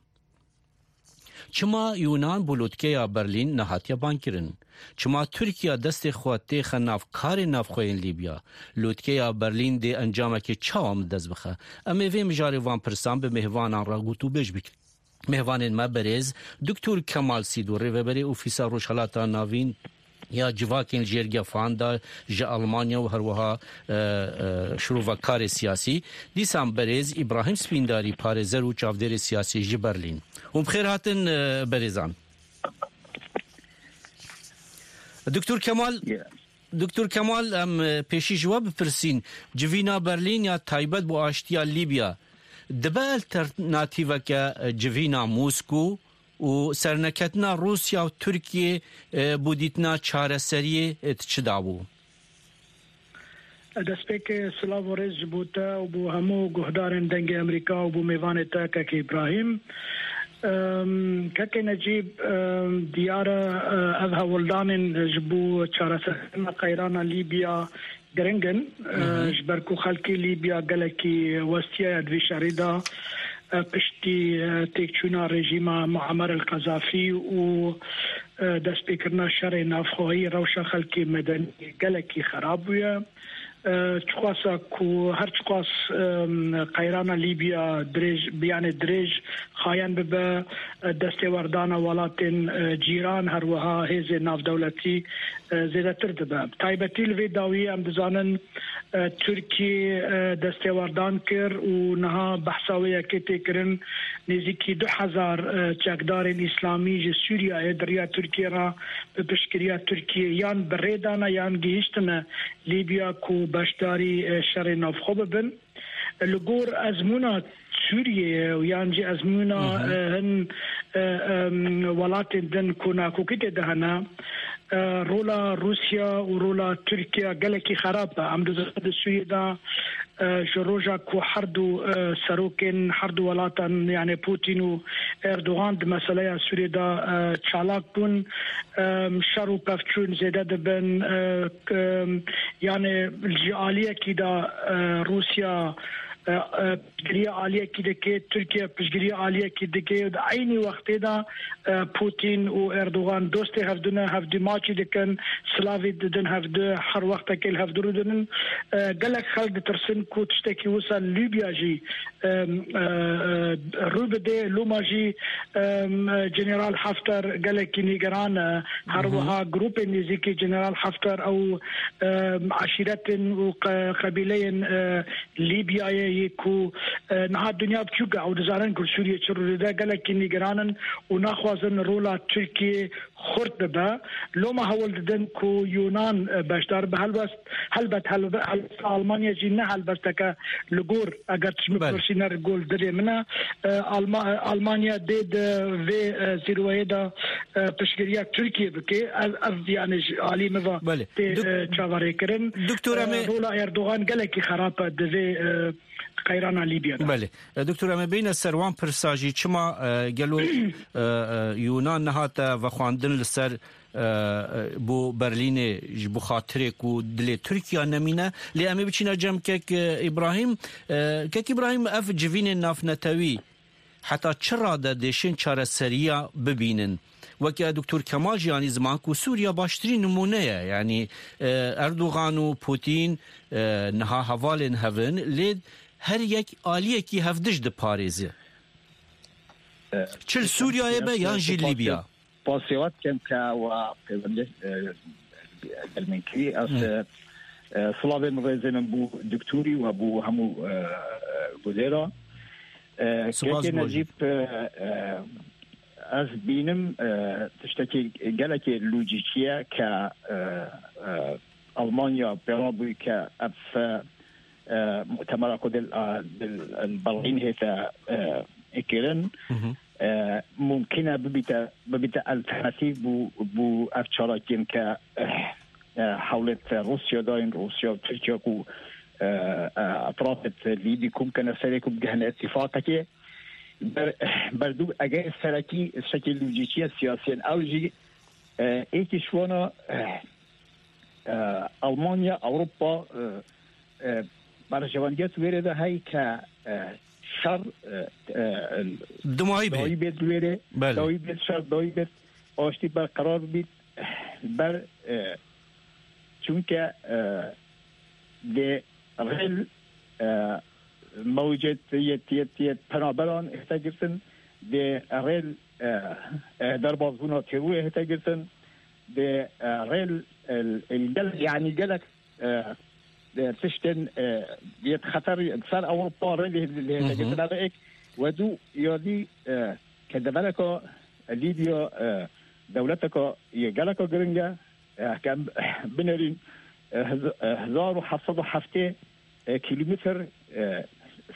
Çima Yûnan bo lotkeya Berlîn nehatiye bangkirin? Çima Tirkiye destê xwe têxe nav karên navxwe yên Lîbya? Lotkeya Berlîn dê encamekê çawa min dest bixe? Em ê vê mijarê van pirsan bi mêvanan re gotûbêj bikin. Mêvanên me berêz Doktor Kemal Sîdo, rêveberê Ofîsa Rojhelata Navîn ya Civakên Jêrgefan de ji Elmanya û herwiha, e, e, şirova karê siyasî. Dîsan berêz Îbrahîm Spîndarî, parêzer û çavdêrê siyasî ji Berlîn. Hûn bi xêr hatin, e, berêzan. Doktor Kemal, Ya. Doktor Kemal, em, e, pêşî ji we bipirsîn, civîna Berlîn ya taybet bo aştiya Lîbya dibe alternatîveke, e, civîna Moskû û serneketina Rûsya û Tirkiyê, e, bo dîtina çareseriyê, e, di çi de bû? Destpêkê silav û rêz ji bo te û bo hemû guhdarên Dengê Amerîka û bo mêvanê te Kek Îbrahîm. Em, Kekê Necîb, em, diyar e, e, ev hewldanên ji bo çareserkirina qeyrana Lîbya giring in, e, Hı hı. ji ber ku xelkê Lîbya gelekî westiyaye di vî şerî de, e, piştî, e, têkçûna rejîma Muammer el-Qezafî û, e, destpêkirina şerê navxweyî rewşa xelkê medenî gelekî xerab bûye. E, çiqasa ku her çiqas, em, qeyrana Lîbya dirêj, bi, yanê dirêj xayen bibe, e, destêwerdana welatên, e, cîran, her wiha hêzên navdewletî, e, zêdetir dibe. Taybetî li vê dawiyê em dizanin, e, Tirkiye, e, destêwerdan kir û niha behsa wê yekê tê kirin, nêzîkî du hezar, e, çekdarên îslamî ji Sûriyeyê di riya Tirkiye re bi piştgiriya Tirkiye yan bi rê dane yan gihîştine Lîbya ku beşdarî, e, şerê navxwe bibin. Li gor ezmûna Sûriyeyê û yan jî ezmûna, Hı hı. e, hin, e, em, welatên din ku nakokî tê de hene, E, rola Rûsya û rola Tirkiye gelekî xerab e. Em dizanin di Sûriyê de, e, ji roja ku her du, e, serokên her du welatan, yani Putin û Erdogan, di meseleya Sûriyê de, e, çalak bûn, e, şer û pevçûn zêde dibin, e, k-, yani ji aliyekî de, e, Rûsya, e, e, piştgiriya aliyekî dike, Tirkiye piştgiriya aliyekî dike. Di eynî wextê de, e, Putin û Erdogan dostê hevdû ne, hevdû maçî dikin, silavî didin hevdû, her wextekê li hevdû rûdinin. E, gelek xelk ditirsin ku tiştekî wisa li Lîbya jî, e, e, e, rû bide. Loma jî, e, General Hafter gelekî nîgeran e. Her Hı hı. wiha grûpên nêzîkî General Hafter ew, e, eşîretên û qe-, qebîleyên, e, Lîbyayê yê ku, e, niha dinya biçûk e, ew dizanin ku li Sûriyê çi rû dide, gelekî nîgeran in û naxwazin rola Tirkiyê xurt bibe. Loma hewl didin ku Yunan, e, beşdar be. Helbest, helbet, helbe-, helbest Almanya jî ne helbesteke li gor, eger tu ji min Belê. bipirsî, ne li gor dilê min e. E, Alma-, e, Almanya dê di vê, e, zîrweyê de, e, piştgiriya Tirkiyê bike. Ev, ev yani ji alî min ve Belê. tê, Dok-, e, çaverêkirin. Doktor, E, em ê rola Erdogan gelekî xerab e di vê, e, qeyrana Lîbya de. Belê. E, Doktor, em ê bêne ser wan pirsa jî, çima, e, gelo, e, e, Yunan nehate vexwandin li ser, e, e, bo Berlînê ji bo xatirê ku dilê Tirkiya nemîne? Lê em ê biçîne cem kek, e, Îbrahîm. E, kek Îbrahîm, ev civînên navnetewî heta çi rade dêşên çareseriya bibînin? Weke Doktor Kemal jî anî ziman ku Sûriya baştirîn nimûne ye. Yanî, e, Erdogan û Putin, e, niha hevalên hev in, lê her yek aliyekî hevdij diparêze. E, Çi li Sûriyeyê be yan jî Lîbya? Pasê we dikim ke we pêwendê, e, gel min kirî. Ez, Hı. e, e, silavê min, rêzê min bo doktorî we bo hemû, e, e, gulêra. E, Spas Kekê bo jî. Necîb, e, e, ez bînim, e, tiştekî gelekê lojîkî ye ke, e, e, Almanya pêra bû ke ev, e, mutemera ku dil, a, dil, li Berlîn hête, e, kirin, Hı hı. e, mumkin e bibîte, bibîte alternatîf bû, bû ev çalakiyên ke, e, e, hewlêt Rûsya dayîn, Rûsya û Tirkiye ku, e, e, etrafêt Lîbî kom kene serê ku bigihine îtîfaqekê. Ber-, berdû eger serekî şekil lojîkî ye siyasî ye. Ew jî, e, êkî ji wana, e, e, Almanya, Ewropa, e, e, berjewendiya wêrê de heye ke, e, şer, e, e, Dimayî bê. dawî bêt wêrê, Belê. dawî bêt şer, dawî bêt aştî berqerar bît. Ber, e, çunke, e, dê rêl, e, mewcet yet, yet, yet penaberan hête girtin, dê rêl, e, e, derbasbûna terorê hête girtin, dê, e, rêl, e, e, gel-, yanî gelek, e, e, tiştên, e, yet xeter ser Ewropa rê lê, lê hête Hı hı. girtin. Ev ek, wedû yadî, e, ke devereka Lîbya, e, dewleteka yê geleka giring e, e, ke em binerîn, e, hez-, e, hezar û heft sed û heftê, e, kîlometr, e,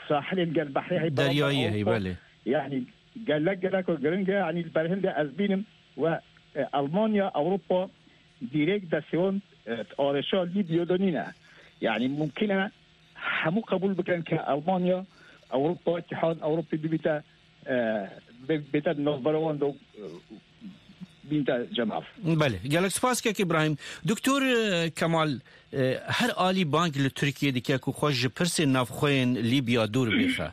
sahilê li gel behrê heye, Deryayî heye, Ewropa. Belê. Yanî gelek, gelek giring e, yanî li ber hinde ez bînim we, e, Almanya, Ewropa dirêk destê wan, e, arêşa Lîbya de nîne. Yanî mumkin e hemû qebûl bikin ke Almanya, Ewropa, Îtîhad Ewropî bibîte, e, bi-, bête navbera wan de, e, bînte cemav. Belê. Gelek spas kek Îbrahîm. Doktor, e, Kemal, e, her alî bang li Tirkiyê dike ku xwe ji pirsên navxweyên Lîbya dûr bêxe.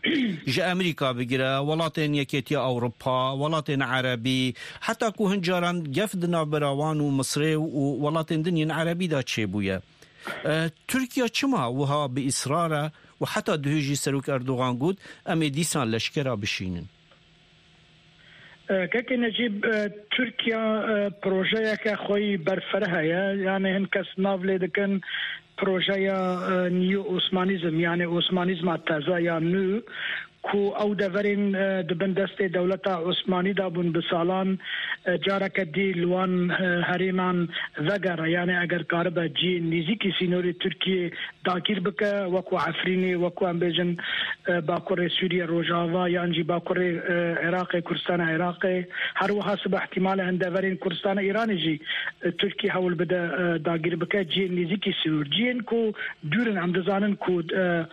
Ji Amerîka bigire, welatên Yekêtiya Ewropa, welatên Erebî, heta ku hin caran gef di navbera wan û Misrê û welatên din yên Erebî de çêbûye. E, Tirkiye çima wiha bi îsrar e û heta duhê jî Serok Erdogan got, em ê dîsan leşkera bişînin? E, Kekê Necîb, e, Tirkiye, e, projeyeke xwe yî berfireh heye. Yani hin kes nav lê dikin projeya, e, neo-Osmanîzm, yani Osmanîzma teze ya nû. ku ew deverên, e, di bin destê dewleta Osmanî de bûn bi salan, e, careke dî li wan, e, herêman vegere, yanê eger karibe cihên nêzîkî sînorê Tirkiyê dagîr bike, wekû Efrînê, wekû em bêjin, e, Bakurê Sûriye Rojava yan jî Bakurê, e, Iraqê, Kurdistana Iraqê. Her wiha sibe ihtimale hin deverên Kurdistana Îranê jî, e, Tirkiye hewl bide, e, dagîr bike. Cihên nêzîkî sînor, cihên ku dûr in, em dizanin ku, e,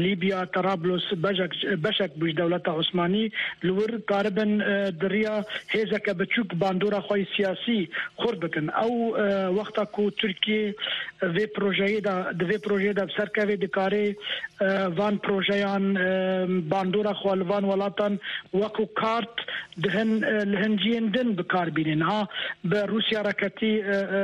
Lîbya, Tarablos, beşek, beşek bû ji dewleta Osmanî, li wir karibin, e, di riya hêzeke biçûk bandora xwe yê siyasî xurt bikin. Ew, e, wexta ku Tirkiye vê projeyê de, di vê projeyê de bi ser kevê, dikarê, e, van projeyan, e, bandora xwe li van welatan wekû kart di hin, e, li hin cihên din bi kar bîne. Niha bi Rûsya re ketî, e, e,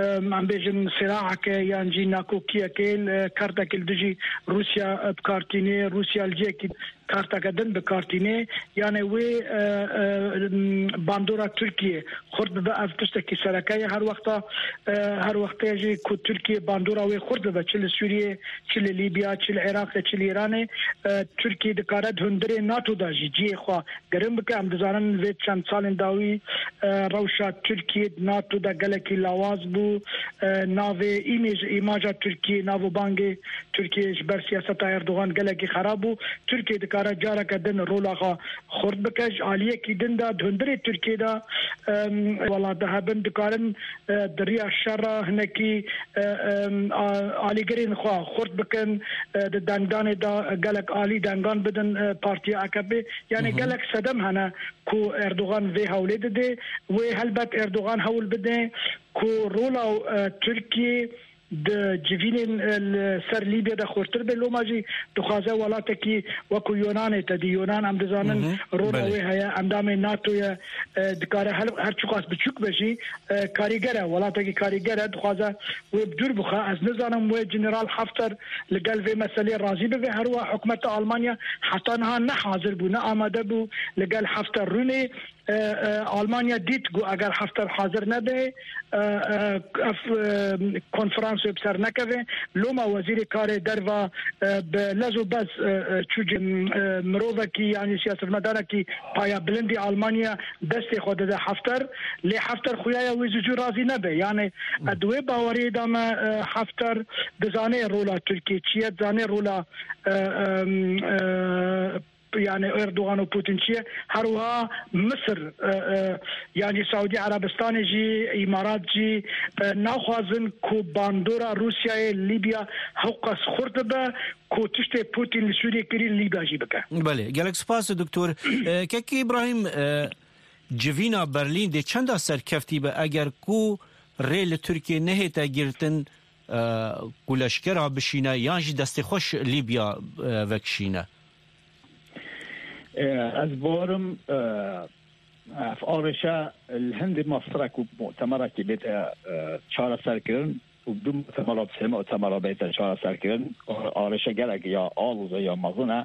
e, em bêjin siraheke yan jî nakokiyekê, e, kartekê li dijî Rûsya, e, bi kar tîne. Rûsya li cihekî karteke din bi kar tîne. Yanê wê, e, e, bandora Tirkiye xurt bibe, ev tiştekî sereke ye. Her wexta, e, her wextê jî ku Tirkiye bandora wê xurt bibe, çi li Sûriyê, çi li Lîbya, çi li Iraqê, çi li Îranê, e, Tirkiye dikare di hundirê NATO de jî cihê xwe girin bike. Em dizanin vê çend salên dawî, e, rewşa Tirkiye di NATO de gelekî lawaz bû. E, navê îmêj, îmaja Tirkiye, nav û bangê Tirkiye ji ber siyaseta Erdogan gelekî xerab bû. Tirkiye dikare careke din rola xwe xurt bike. Ji aliyekî din de di hundirê Tirkiye de, em, welat de hebin, dikarin, e, di riya şer re hinekî, e, em, a-, alîgirên xwe xurt bikin, e, di dengdanê de gelek alî dengan bidin, e, partiya A K P. Yanê gelek sedem hene ku Erdogan vê hewlê dide. Wê helbet Erdogan hewl bide ku rola, e, Tirkiye di civînên, e, li ser Lîbya de xurtir be. Loma jî dixwaze welatekî wekû Yonanê te dî. Yonan, em dizanin, rola wê heye, endamê NATO ye, e, dikare her, her çiqas biçûk be jî, e, karîger e, welatekî karîger e, dixwaze wê bi dûr bixe. Ez nizanim wê General Hafter li gel vê meselê razî bibe. Her wiha hikûmeta Almanya heta niha ne hazir bû, ne amade bû li gel Hafter rûnê. E, e, Almanya dît ku eger Hafter hazir nebe, e, e, ev, e, konferans wê bi ser nekeve. Loma wezîrê karê derva, e, bi lez û bez, e, e, çû cem, e, mirovekî, yanî siyasetmedarekî paya bilindî Almanya destê xwe dide Hafter. Lê Hafter xuyaya wê zû zû razî nebe. Yanî, e, di wê baweriyê de me, e, Hafter dizane rola Tirkiye çi ye, dizane rola, e, e, e, yani Erdogan û Putin çi ye? Her wiha Misir, e, e, yani Saûdî Erebistanê jî, Îmarat jî, e, naxwazin ku bandora Rûsyayê li Lîbya hewqas xurt bibe ku tiştê Putin li Sûriyê kirî li Lîbya jî bike. Belê, gelek spas, Doktor. E, Kekî Îbrahîm, e, civîna Berlîn dê çenda serkeftî be eger ku rê li Tirkiyê nehête girtin, e, ku leşkera bişîne yan jî destê xwe ji Lîbya, e, vekişîne? E, ez bawerim, e, ev arêşe li hindê mastirek û mutemerekî bête, e, çareserkirin û bi du mutemera, bi sê mutemera bête çareserkirin. Arêşe gelek ya aloz e, ya mezin e.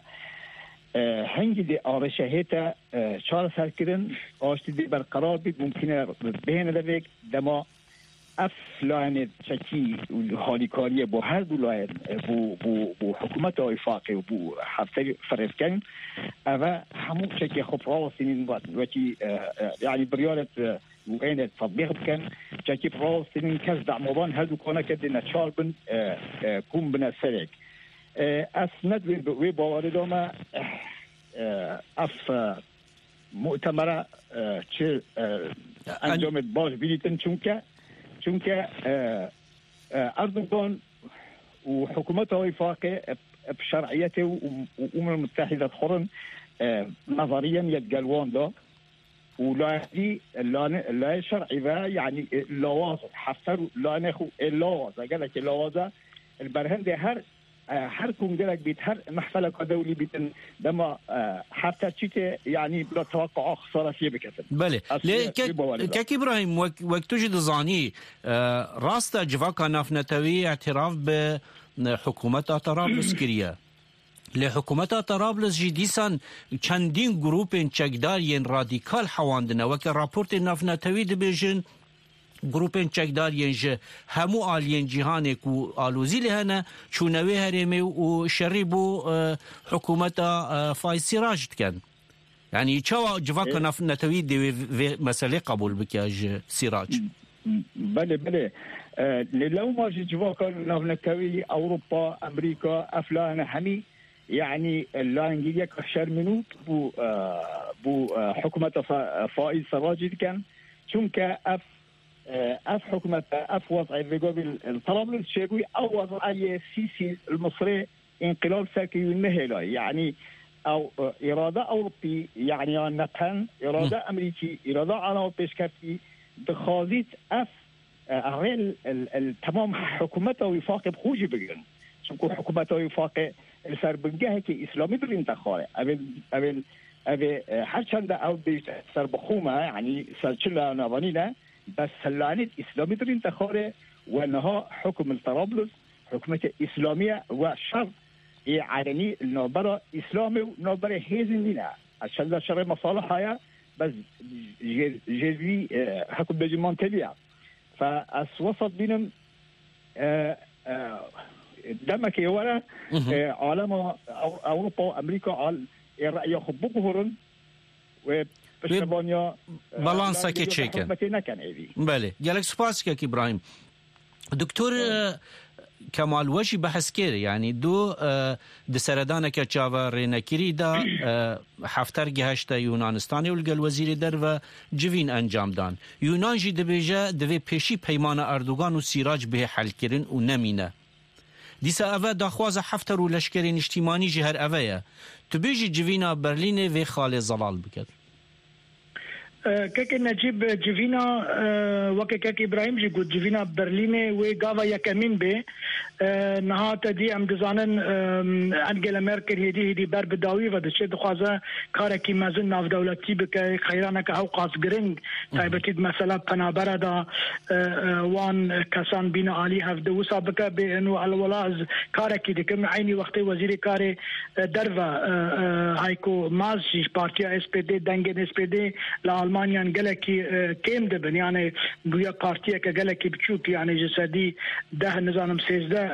E, hingî dê arêşe hête, e, çareserkirin, aştî dê berqerar bît, mumkîn e bihêne devêk dema ev layenê çekî û halîkariyê bo her du layen, e, bo, bo, bo hikûmeta Wîfaqê û bo Hefterî firêvkerin, eve hemû çekê xwe bi rawestînin, wekî, e, e, yanî biryarê, e, û êne tetbîq bikin, çekî bi rawestînin kes demavan her du koneke dê neçar bin, e, e, kom bine serek. E, ez ne di wê, wê bawerê de me, e, ev, e, mutemera, e, çi, e, encamê baş bidîtin, çunke, çunke, e, e, Erdogan û hikûmeta Wîfaqê, e, e, bi şer'iyetê û, û, û Umem Mutehîde dixurin, e, nezeriyen yê digel wan de. Û layekî, lane-, layê şer'î ve, yanî, e, lawaz, Hefter û layanê xwe ê lawaz e, gelekî lawaz e. Li ber hindê her, e, her kongrek bît, her mehfeleka dewlî bîtin, dema, e, Hefter çîtê, yanî, bila teweqqa xisaretiye biketin. Belê. Lê Kek-, Kek Îbrahîm, wek, wek tu jî dizanî, e, rast e civaka navnetewî îtiraf bi, e, hikûmeta Tarablus kiriye. Lê hikûmeta Tarablus jî dîsan çendîn grûpên çekdar yên radîkal hewandine. Weke raportên navnetewî dibêjin, grûpên çekdar yên ji hemû aliyên cîhanê ku alozî lê hene, çûne wê herêmê û şerî bo, e, hikûmeta, e, Faiz Sirac dikin. Yanî çawa civaka Ê- navnetewî divê vê meselê qebûl bike ji Sirac? Belê, belê. E, lê lewma jî civaka navnetewî, Ewropa, Amerîka, ev layene hemî, yanî layengiriyeka şermînûk bû, e, bû, e, hikûmeta Fa-, Faiz Serracî dikin. Çunke ev, e, ev hikûmete, ev wez'ê vêgovî li Tarablus çêbûyî, ew wez'ê yê Sîsî li Misirê înqilab serkirî û nehêlayî. Yanî ew, e, îrada Ewropî, yanî ya nepen, îrada Hı. Amerîkî, îrada Ewropa pêşkevtî, dixwazît ev, e, rê l-, l-, l-, temam hikûmeta wîfaqê bi xwe jî bigirin. Çimku hikûmeta wîfaqê li ser bingehekî îslamî birîn te xwarê. Ev ê, ev ê, ev ê, e, her çende ew bêjte ser bi xwe me, yanî ser çi laya navanî ne, bes selanît îslamî birîn te xwarê we niha hikûm li Tarablus, hikûmetê îslamî ye we şer ê elenî li navbera îslamê û navberê hêzên dîn e. Ez çenda şerê mesaliha ye, bes jê, jê vî, e, hikûm bêjî mantevî ye. Fe ez wesat bînim, e, e, demekê were, Mhm. e, alema Ew-, Ewropa û Amerîka al-, ê re'ya xwe biguhurin, wê Wê piştevaniya, e, balansekê layengiriyê çêkin. Hikûmetê nekin êdî. Belê. Gelek spas, Kek Îbrahîm. Doktor, Sağ ol. e, Kemal, we jî behs kir, yanî du, e, di seredaneke çaverênekirî de, e, Hefter gihişte Yunanistanê û li gel wezîrê derve civîn encam dan. Yunan jî dibêje, divê pêşî peymana Erdogan û Sîrac bihê helkirin û nemîne. Dîsa ev e daxwaza Hefter û leşkerê niştîmanî jî her ev e ye. Tu bêjî civîna Berlînê vê xalê zelal biket. E, Kekê Necîb, civîna, e, weke Kek Îbrahîm jî got, civîna Berlînê wê gava yekemîn bê. E, niha te dî em dizanin, e, Angela Merkel hêdî hêdî ber bi dawî ve diçe, dixwaze karekî mezin navdewletî bike, qeyraneke hewqas giring, Hı hı. taybetî di mesela penabere de, e, e, wan kesan bîne alî hevdi wisa bike bê eno elwela ez karekî dikim. Eynî wextê wezîrê karê, e, derve, e, e, Heiko Maas jî ji partiya S P D, dengên S P D li Almanyan gelekî, e, kêm dibin. Yani bûye partiyeke gelekî biçûk, yani ji sedî deh, nizanim sêzdeh, e,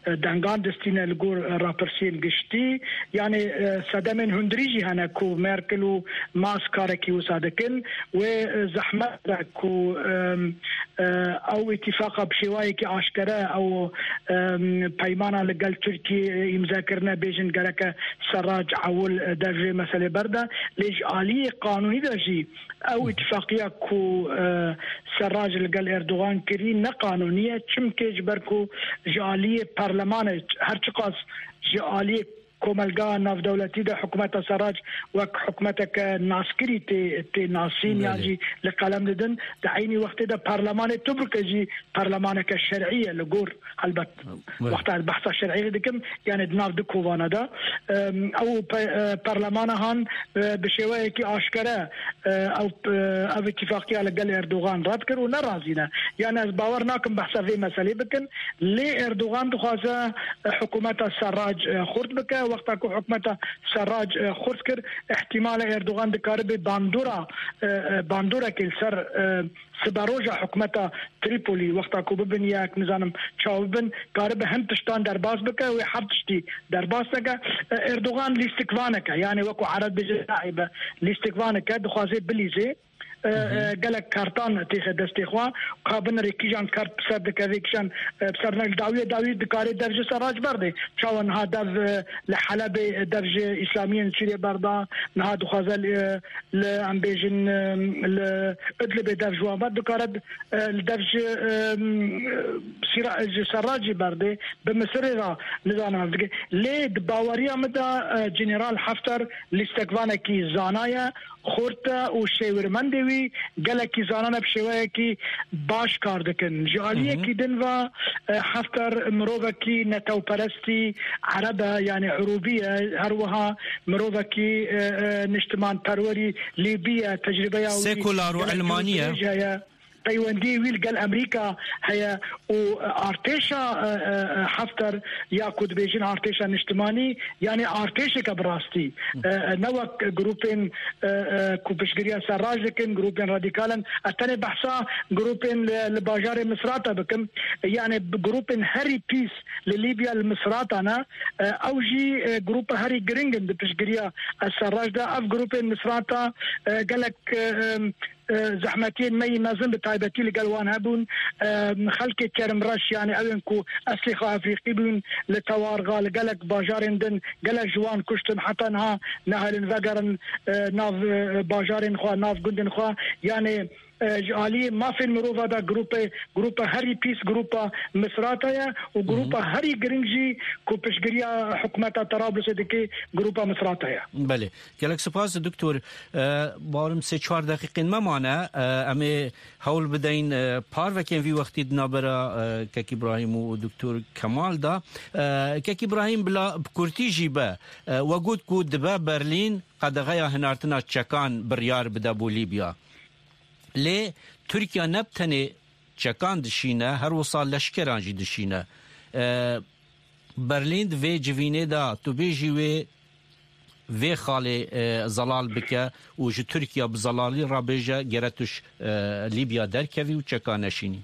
e, e, dengan distîne li gor, e, rapirsiyên giştî. Yani, e, sedemên hundirî jî hene ku Merkel û Maas karekî wisa dikin. Wê, e, zehmet e ku, e, e, ew îtîfaqa bi şêwayekî aşkere ew, e, peymana li gel Tirkiyê, e, îmze kirine, bêjin gereke Serrac ewil, e, dev jê meselê berde. Lê ji aliyê qanûnî de jî ew îtîfaqiya ku, e, Serrac li gel Erdogan kirî ne qanûnî ye. Çimkê ji ber ku ji aliyê parlemanê, her çiqas ji aliyê komelga navdewletî de hikûmeta Serrac wek hikûmeteke naskirî tê, tê nasîn yan Belê. jî li qelem didin. Di eynî wextê de parlemanê Tubrukê jî parlemaneke şer'î ye li gor, helbet. Belê. Wexta ez behsa şer'î dikim, yani di nav du kovana de, em, ew pe-, e, parlemana han, e, bi şêweyekî aşkere, e, ew, e, ev îtîfaqiya li gel Erdogan red kir û nerazî ne. Yani ez bawer nakim behsa vê meselê bikin. Lê Erdogan dixwaze, e, hikûmeta Serrac, e, xurt bike. Wexta ku hikûmeta Serrac, e, xurt kir, ihtimale Erdogan dikaribe bandora, e, e, bandorekê li ser, e, siberoja hikûmeta Tripolî, wexta ku bibin yek, nizanim çawa bibin, karibe hin tiştan derbas bike, wê her tiştî derbas neke. E, Erdogan lîstikvaneke, yani wekû Ereb bêje naîbe, lîstikvaneke, dixwaze bilîzê. E, Hı hı. e, gelek kartan têxe destê xwe, ka binirê kîjan kart bi ser dikeve, kîjan, e, bi ser ne, dawiyê dawî dikare dev ji Serrac berdê. Çawa niha dev, e, li Helebê, e, dev ji Îslamiyên Sûriyê berda, niha dixwaze li, e, li, em bêjin, e, li Idlibê dev ji wan ber dikare, e, li dev ji, e, Sîra-, ji Serracî berdê, bi Misirê re nizanim ev dike. Lê di baweriya min de, e, General Hafter lîstekvanekî zana ye, xurt e û şêwirmendê wî gelekî zanane bi şêweyekî baş kar dikin. Ji Hı hı. aliyekî din ve, e, Hafter mirovekî netewperestî Ereb e, yani Irûbî ye, her wiha mirovekî, e, e, niştimanperwerî Lîbî ye, tecrübeya wî Sekular û gelek elmanî ye. cihê heye. peywendiyê wî li gel Amerîka heye û artêşa, e, e, e, Hefter ya ku dibêjin artêşa niştimanî, yanî artêşeke bi rastî, e, e, ne wek grûpên, e, e, ku piştgiriya serrac dikin, grûpên radîkal in. Ez tenê behsa grûpên li, li bajarê Misrata bikim. Yanî bi grûpên herî pîs li Lîbya li Misrata ne. E, ew jî, e, grûpa herî giring in di piştgiriya serrac de. Ev grûpên Misrata, e, gelek, e, e, e, zehmetiyên me yî mezin bi taybetî li gel wan hebûn. E, xelkê kermreş, yanî ew ên ku eslê xwe efrîqî bûn, li Tewarxa, li gelek bajarên din gelek ji wan kuştin, heta niha nehelin vegerin, e, nav, e, bajarên xwe, nav gundên xwe. Yanî, e, ji aliyê mafên mirova de grûpe, grûpa herî pîs grûpa Misrata ye û grûpa herî giring jî ku piştgiriya hikûmeta Tarablusê dike grûpa Misrata ye. Belê. Gelek spas, Doktor. E, bawerim sê çar deqîqên me mane. E, em ê hewl bideyin, e, parvekên vî wextî di navbera, e, Kek Îbrahîm û Doktor Kemal de. E, Kek Îbrahîm, bila bi kurtî jî be, e, we got ku dibe Berlîn qedexeya hinartina çekan biryar bide bo Lîbya. Lê Tirkiye ne bi tenê çekan dişîne, her wisa leşkeran jî dişîne. E, Berlîn di vê civînê de tu bêjî wê vê xalê, e, zelal bike û ji Tirkiye bi zelalî re bêje, gere tu ji, e, Lîbya derkevî û çeka neşînî.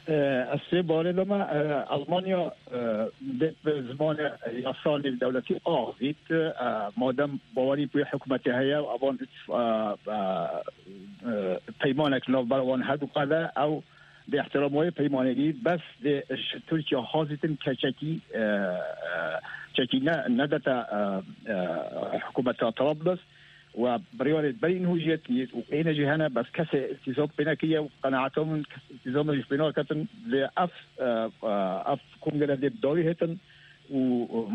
E, Ez sê barê de me, e, Almanya, e, dê bi zimanê yasalî dewletî axivît, e, madem bawerî bi wê hikûmetê heye, evan, e, e, e, peymanek li navbera wan herduka de, ew dê ihtiram wê peymanê dî, bes dê ji Tirkiye hazîtin keçekî, e, e, çekî ne, nedete, e, e, hikûmeta Trablus. We biryarê berî niho jê tî û êne jî hene, bes kesê îltîzam pê nekiriye û qenaeta min kes îltîzamê jî pê naketin. Lê ev, e, e, ev kongre dê bi dawî hêtin û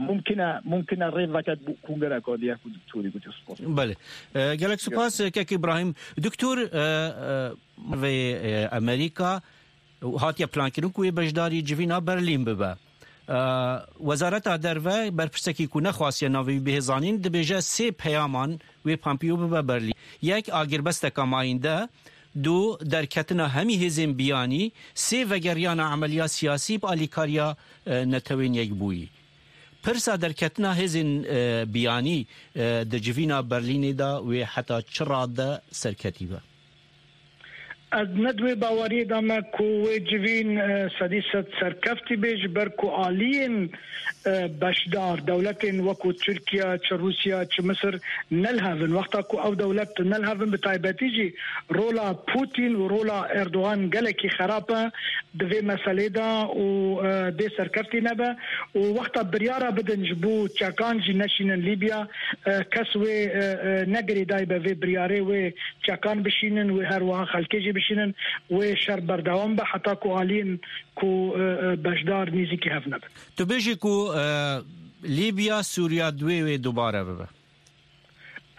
mumkin e, mumkin e rê veket bo kongreka dî, ku doktorî gotiye. Spas. Belê. E, gelek spas, Kek Îbrahîm. Doktor, e, e, vê, e, Amerîka hatiye plankirin ku wê beşdarî civîna Berlîn bibe. E, Wezareta Derve berpirsekî ku nexwastiye navê wî bihê zanîn, dibêje sê peyaman wê Pompeo bibe Berlîn. Yek, agirbesteka mayînde, du, derketina hemî hêzên biyanî, sê, vegeriyana emeliya siyasî bi alîkariya, e, Netewên Yekbûyî. Pirsa derketina hêzên, e, biyanî, e, di civîna Berlînê de wê heta çi rade serketî be? Ez ne di wê baweriyê de me ku wê civîn, e, sedî sed serkeftî bê, ji ber ku aliyên, e, beşdar, dewletên wekû Tirkiye, çi Rûsya, çi Misir nelihevin. Wexta ku ew dewlet nelihevin, bi taybetî jî rola Putin û rola Erdogan gelekî xerab e di vê meselê de û, e, dê serkeftî nebe û wexta biryara bidin ji bo çekan jî neşînin Lîbya, e, kes wê, e, e, ne girêdayî be vê biryarê wê çekan bişînin, wê her wiha xelkê jî bişînin, wê şer berdewam be heta ku aliyên ku, e, e, beşdar nêzîkî hev nebin. Tu bêjî ku, e, Lîbya, Sûriya di wê wê dubare bibe?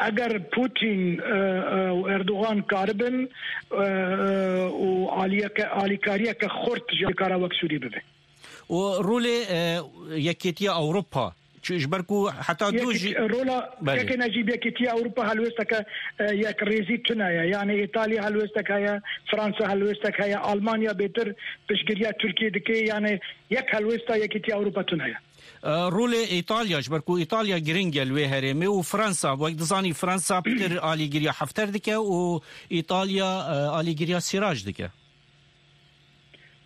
Eger Putin, e, e, û Erdogan karibin, e, e, û aliyeke, alîkariyeke xurt ji kara wek Sûrî bibe. Û rolê, e, Yekêtiya Ewropa, çi, ji ber ku heta du Yekî-, jî rola Belê. Yekê ne jî Yekêtiya Ewropa helwêsteke, e, yekrêzî tune ye. Yani Îtalya helwêstek heye, Fransa helwêstek heye, Almanya bêtir piştgiriya Tirkiye dike. Yani yek helwêsta Yekîtiya Ewropa tune ye. E, rolê Îtalya, ji ber ku Îtalya giring e li wê herêmê û Fransa, wek dizanî Fransa pitir alîgiriya Hefter dike û Îtalya, e, alîgiriya Sîrac dike.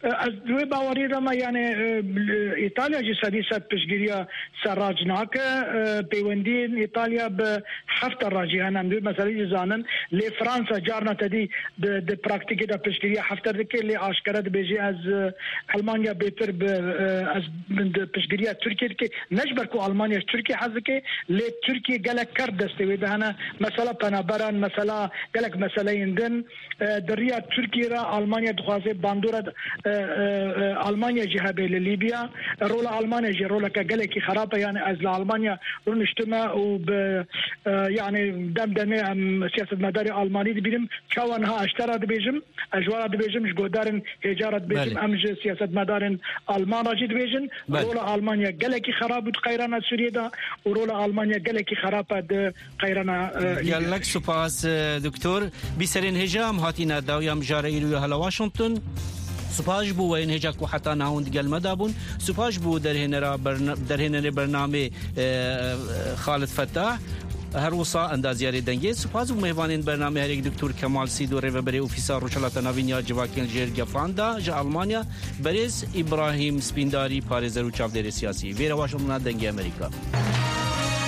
Ez di wê bawerî de me, yani, e, Îtalya jî sedî sed piştgiriya serrac nake. E, peywendiyên Îtalya bi Hefter re jî hene. Em di wê meselê jî zanin. Lê Fransa carna te dî di, di praktîkê de piştgiriya Hefter dike. Lê aşkere dibêje, ez, e, Almanya bêtir bi, e, ez di piştgiriya Tirkiye dike. Ne ji ber ku Almanya ji Tirkiye hez dike, lê Tirkiye gelek kerd destê wê de hene. Mesela penaberan, mesela gelek meseleyên din. E, di riya Tirkiye re Almanya dixwaze bandora, e, e, e, Almanya jî hebe li Lîbya. Rola Almanya jî roleke gelekî xerab e. Yani ez li Almanya rûniştime û bi, e, yani dem demê em siyasetmedarê Almanî dibînim. Çawa niha ez te re dibêjim, ez ji we re dibêjim, ji guhdarên hêja re dibêjim, Belê. Em ji siyasetmedarên Alman re jî dibêjin. Belê. Rola Almanya gelekî xerab bû di qeyrana Sûriyê de û rola Almanya gelekî xerab e di qeyrana, e, Lîbya. Gelek spas, e, doktor. Bîserên hêja em hatîne dawiya mijara îro ya hela Washington. Spas ji bo we yên hêja ku heta niha hûn digel me de bûn. Spas ji bo derhênera berna-, derhênerê bernamê, e, Xalid Fetah. Her wisa endaziyarê dengê. Spas ji bo mêvanên bernamê herêk doktor Kemal Sîdo, rêveberê Ofîsa Rojhilata Navîn ya Civakên Jêr Gefan de ji Almanya, berêz Îbrahîm Spîndarî, parêzer û çavdêrê siyasî. Vêre Washingtona Dengê Amerîka.